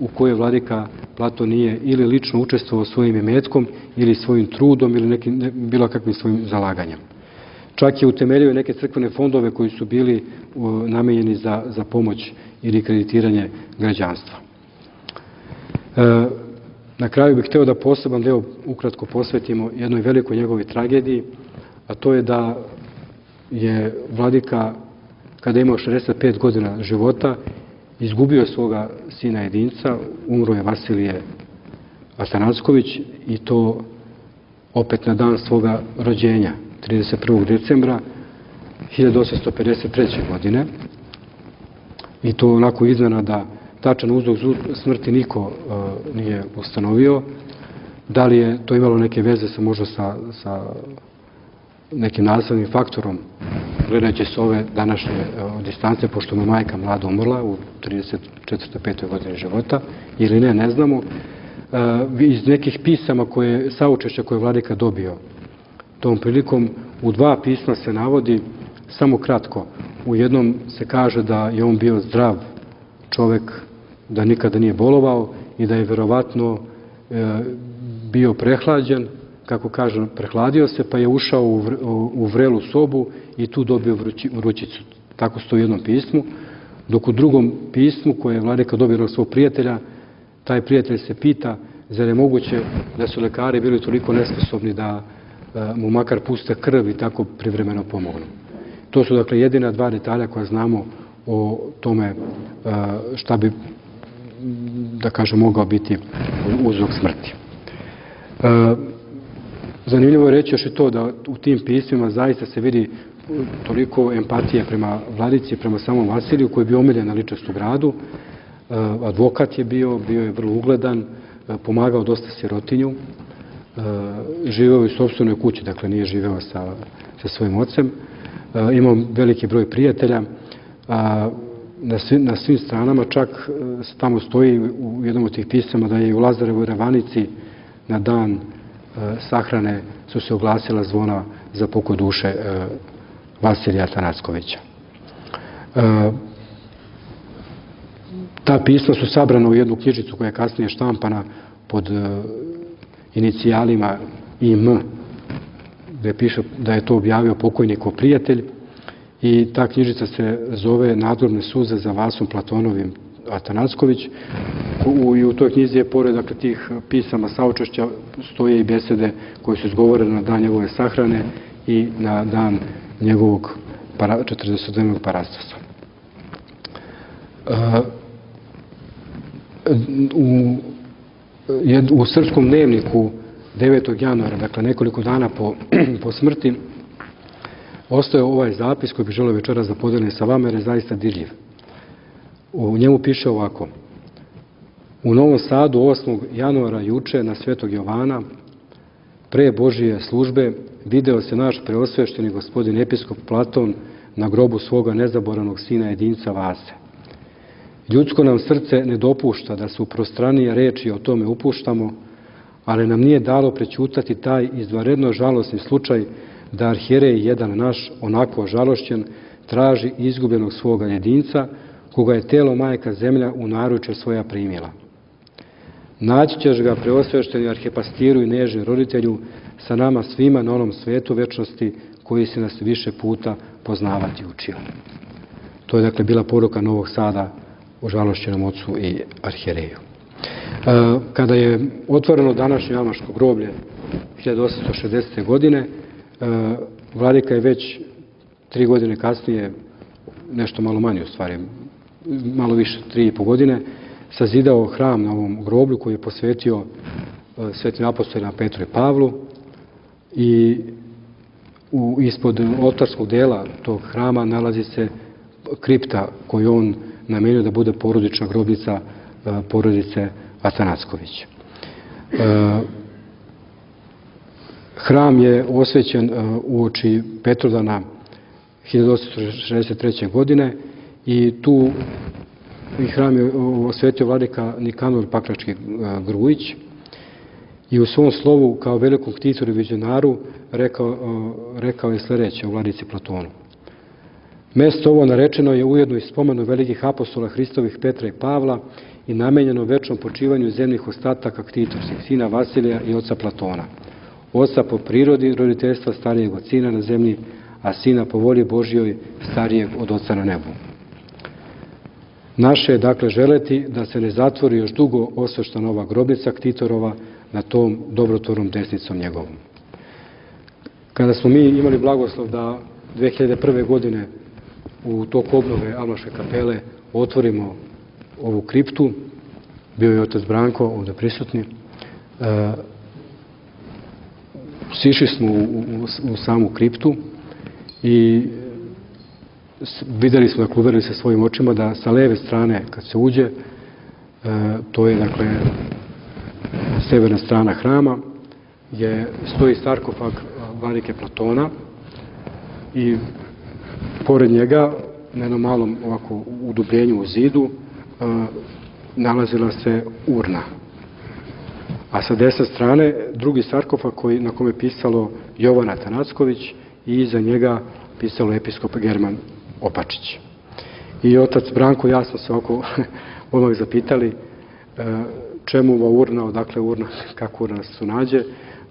u kojoj vladika Platon nije ili lično učestvovao svojim imetkom ili svojim trudom ili bilo kakvim svojim zalaganjem. Čak je utemeljio neke crkvene fondove koji su bili namenjeni za pomoć ili kreditiranje građanstva. Na kraju bih hteo da poseban deo ukratko posvetimo jednoj velikoj njegovoj tragediji, a to je da je vladika, kada je imao 65 godina života, izgubio svoga sina jedinca, umro je Vasilije Atanacković i to opet na dan svoga rođenja, 31. decembra 1853. godine. I to onako iznenada, tačan uzrok smrti niko nije ustanovio. Da li je to imalo neke veze možda sa nekim naslednim faktorom, gledajući s ove današnje distance, pošto mu majka mlada umrla u 34-5. godini života, ili ne znamo. Iz nekih pisama saučešća koje je vladika dobio tom prilikom, u 2 pisma se navodi, samo kratko, u jednom se kaže da je on bio zdrav čovek, da nikada nije bolovao i da je verovatno bio prehlađen, kako kažem, prehladio se, pa je ušao u vrelu sobu i tu dobio vrućicu. Tako stoji u jednom pismu. Dok u drugom pismu, koje je vladika dobio od svog prijatelja, taj prijatelj se pita zar je moguće da su lekari bili toliko nesposobni da mu makar puste krv i tako privremeno pomognu. To su dakle jedina 2 detalja koja znamo o tome šta bi, da kažem, mogao biti uzrok smrti. Zanimljivo je reći još i to da u tim pismima zaista se vidi toliko empatije prema vladici, prema samom Vasiliju, koji je bio omiljena ličnost u gradu. Advokat je bio je vrlo ugledan, pomagao dosta sirotinju, živeo u sopstvenoj kući, dakle nije živeo sa svojim ocem. Imao veliki broj prijatelja na svim stranama, čak tamo stoji u jednom od tih pisama da je u Lazarevoj Ravanici na dan sahrane su se oglasila zvona za pokoj duše Vasilija Atanackovića. Ta pisma su sabrana u jednu knjižicu koja je kasnije štampana pod inicijalima IM, gde piše da je to objavio pokojnikov prijatelj, i ta knjižica se zove Nadgrobne suze za Vasom Platonovim Atanacković. I u toj knjizi je, pored tih pisama saučešća, stoje i besede koje su izgovorene na dan njegove sahrane i na dan njegovog 40-dnevnog parastasa. U Srpskom dnevniku 9. januara, dakle nekoliko dana po smrti, ostaje ovaj zapis koji bih želeo večeras da podelim sa vama, jer je zaista dirljiv. U njemu piše ovako: u Novom Sadu 8. januara juče na Svetog Jovana, pre Božije službe, video se naš preosvešteni gospodin episkop Platon na grobu svoga nezaboravnog sina jedinca Vase. Ljudsko nam srce ne dopušta da se u prostranije reči o tome upuštamo, ali nam nije dalo prećutati taj izvanredno žalosni slučaj da arhijerej jedan naš, onako žalošćen, traži izgubljenog svoga jedinca, koga je telo majka zemlja u naručje svoja primila. Naći ćeš ga, preosvešteni arhipastiru i nežni roditelju, sa nama svima na onom svetu večnosti koji se nas više puta poznavati učio. To je dakle bila poruka Novog Sada o žalošćenom ocu i arhijereju. Kada je otvoreno današnje Amaško groblje 1860. godine, Vladika je već 3 godine kasnije, nešto malo manje u stvari, malo više, 3,5 godine, sazidao hram na ovom groblju koji je posvetio svetim apostolima Petru i Pavlu i ispod oltarskog dela tog hrama nalazi se kripta koju on namenio da bude porodična grobnica porodice Atanacković. Hram je osvećen uoči Petrodana 1863. godine i tu hram je osvetio vladika Nikanor Pakrački Grujić i u svom slovu kao velikom ktitoru i vizionaru rekao je sljedeće o vladici Platonu. Mesto ovo narečeno je ujedno i spomenu velikih apostola Hristovih Petra i Pavla i namenjeno večnom počivanju zemljih ostataka ktitorskih sina Vasilija i oca Platona. Oca po prirodi roditeljstva starijeg od sina na zemlji, a sina po volji Božjoj starijeg od oca na nebu. Naše je dakle želeti da se ne zatvori još dugo osveštana ova grobnica ktitorova na tom dobrotvornom desnicom njegovom. Kada smo mi imali blagoslov da 2001. godine u toku obnove Almaške kapele otvorimo ovu kriptu, bio je otac Branko ovdje prisutni, sišli smo u samu kriptu i vidjeli smo, dakle, uverili se svojim očima da sa leve strane kad se uđe, to je dakle severna strana hrama, stoji sarkofag vladike Platona i pored njega, na jednom malom ovako udubljenju u zidu, nalazila se urna. A sa desne strane drugi sarkofag na kome je pisalo Jovan Atanacković i iza njega pisalo episkop German Opačić. I otac Branko i ja smo se ovako odmah zapitali čemu ova urna, odakle urna, kako urna se nađe,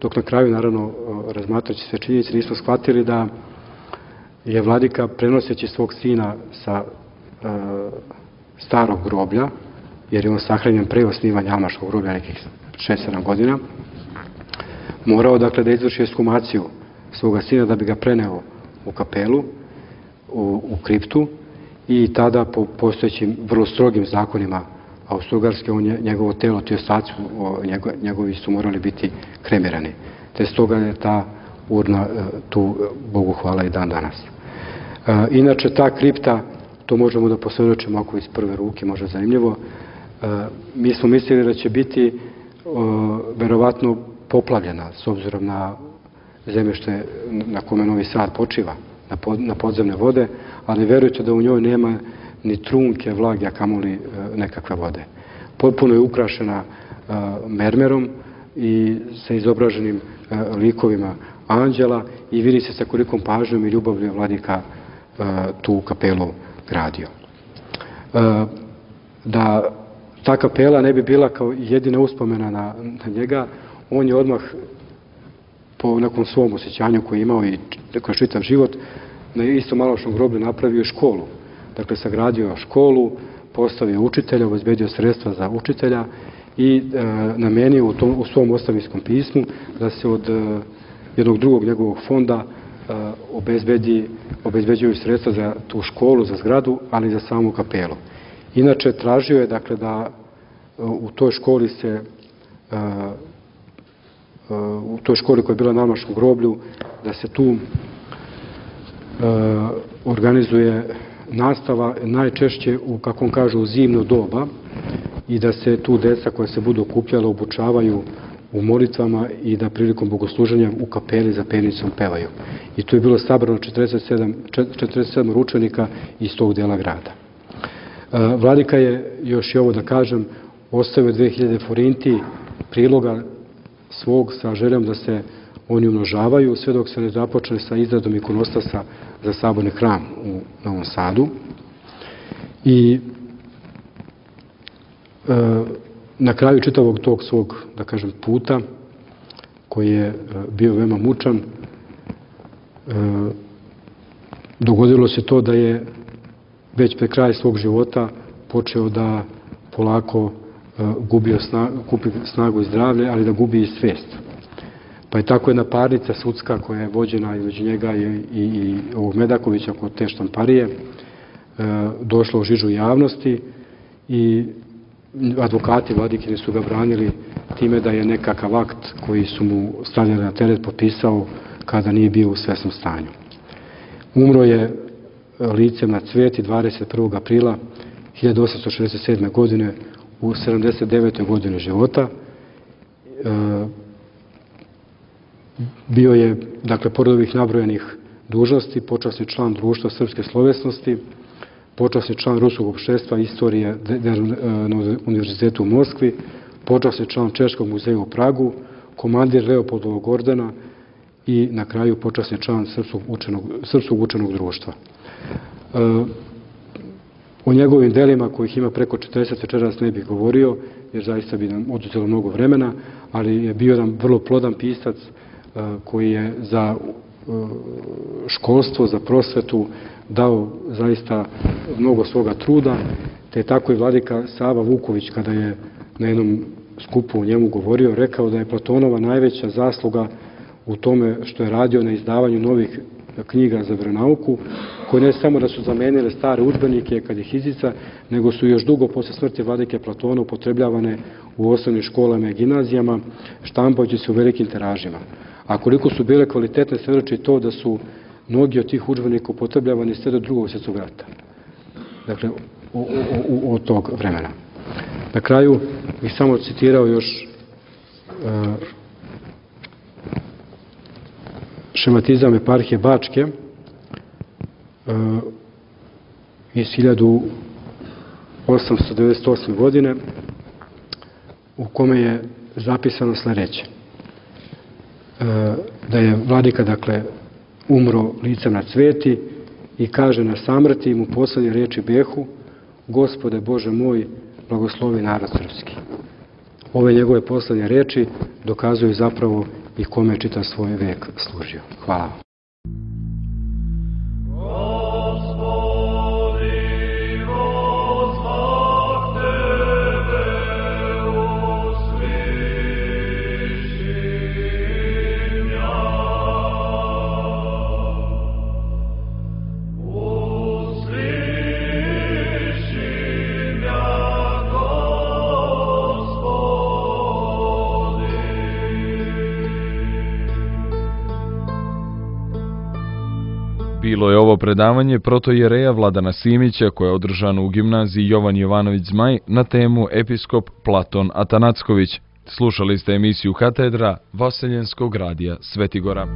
dok na kraju, naravno, razmatrajući sve činjenice, nismo shvatili da je vladika, prenoseći svog sina sa starog groblja, jer je on sahranjen pre osnivanja Almaškog groblja nekih 6-7 godina, morao dakle da izvrši ekshumaciju svoga sina da bi ga preneo u kapelu, u kriptu, i tada po postojećim vrlo strogim zakonima Austro-Ugarske njegovo telo, ti ostaci njegovi su morali biti kremirani. Te stoga je ta urna tu, Bogu hvala, i dan danas. Inače, ta kripta, to možemo da posvjedočimo ako iz prve ruke, može zanimljivo, mi smo mislili da će biti verovatno poplavljena s obzirom na zemljište na kome Novi Sad počiva, na podzemne vode, ali verujte da u njoj nema ni trunke vlage, a kamoli nekakve vode. Potpuno je ukrašena mermerom i sa izobraženim likovima anđela i vidi se sa kolikom pažnjom i ljubavlju je vladika tu kapelu gradio. Da ta kapela ne bi bila kao jedina uspomena na njega, on je odmah po nekom svom osjećanju koje je imao i kroz čitav život na istom Almaškom groblju napravio školu. Dakle, sagradio školu, postavio učitelja, obezbedio sredstva za učitelja i namenio u svom ostavinskom pismu da se od jednog drugog njegovog fonda obezbeđuju sredstva za tu školu, za zgradu, ali i za samu kapelu. Inače, tražio je dakle da u toj školi koja je bila na Almaškom groblju, da se tu organizuje nastava najčešće kako on kaže, u zimno doba i da se tu deca koja se budu okupljala obučavaju u molitvama i da prilikom bogosluženja u kapeli za penicom pevaju. I tu je bilo sabrano 47 učenika iz tog dela grada. Vladika je, još i ovo da kažem, ostavio 2000 forinti priloga svog sa željom da se oni umnožavaju sve dok se ne započne sa izradom ikonostasa za saborni hram u Novom Sadu. I na kraju čitavog tog svog, da kažem, puta, koji je bio veoma mučan, dogodilo se to da je već pred kraj svog života počeo da polako gubi snagu i zdravlje, ali da gubi i svijest. Pa je tako jedna parnica sudska koja je vođena između njega i ovog Medakovića kod te štamparije došla u žižu javnosti i advokati Vladikini su ga branili time da je nekakav akt koji su mu stavljali na teret potpisao kada nije bio u svesnom stanju. Umro je licem na cvijeti 21. aprila 1867. godine u 79. godini života. Bio je, dakle, pored ovih nabrojenih dužnosti, počasni član Društva srpske slovesnosti, počasni član Ruskog opštestva istorije na Univerzitetu u Moskvi, počasni član Češkog muzeja u Pragu, komandir Leopoldovog ordena i na kraju počasni član Srpskog učenog društva. O njegovim delima, kojih ima preko 40, večeras ne bih govorio, jer zaista bi nam oduzelo mnogo vremena, ali je bio nam vrlo plodan pisac koji je za školstvo, za prosvetu dao zaista mnogo svoga truda, te je tako i vladika Sava Vuković, kada je na jednom skupu o njemu govorio, rekao da je Platonova najveća zasluga u tome što je radio na izdavanju novih knjiga za veronauku, koje ne samo da su zamenile stare udžbenike kad ih izdica, nego su još dugo posle smrti vladike Platona upotrebljavane u osnovnim školama i gimnazijama, štampajući se u velikim tiražima. A koliko su bile kvalitetne, svedoči to da su mnogi od tih udžbenika upotrebljavani sve do Drugog svjetskog rata. Dakle, od tog vremena. Na kraju bih samo citirao još šematizam eparhije Bačke iz 1898. godine, u kome je zapisano sledeće. Da je vladika, dakle, umro licem na cvijeti i kaže na samrti mu poslednje riječi behu: Gospode Bože moj, blagoslovi narod srpski. Ove njegove poslednje riječi dokazuju zapravo i kome je čitav svoj vek služio. Hvala vam. Bilo je ovo predavanje protojereja Vladana Simića koje je održano u gimnaziji Jovan Jovanović Zmaj na temu Episkop Platon Atanacković. Slušali ste emisiju Katedra Vaseljenskog radija Svetigora.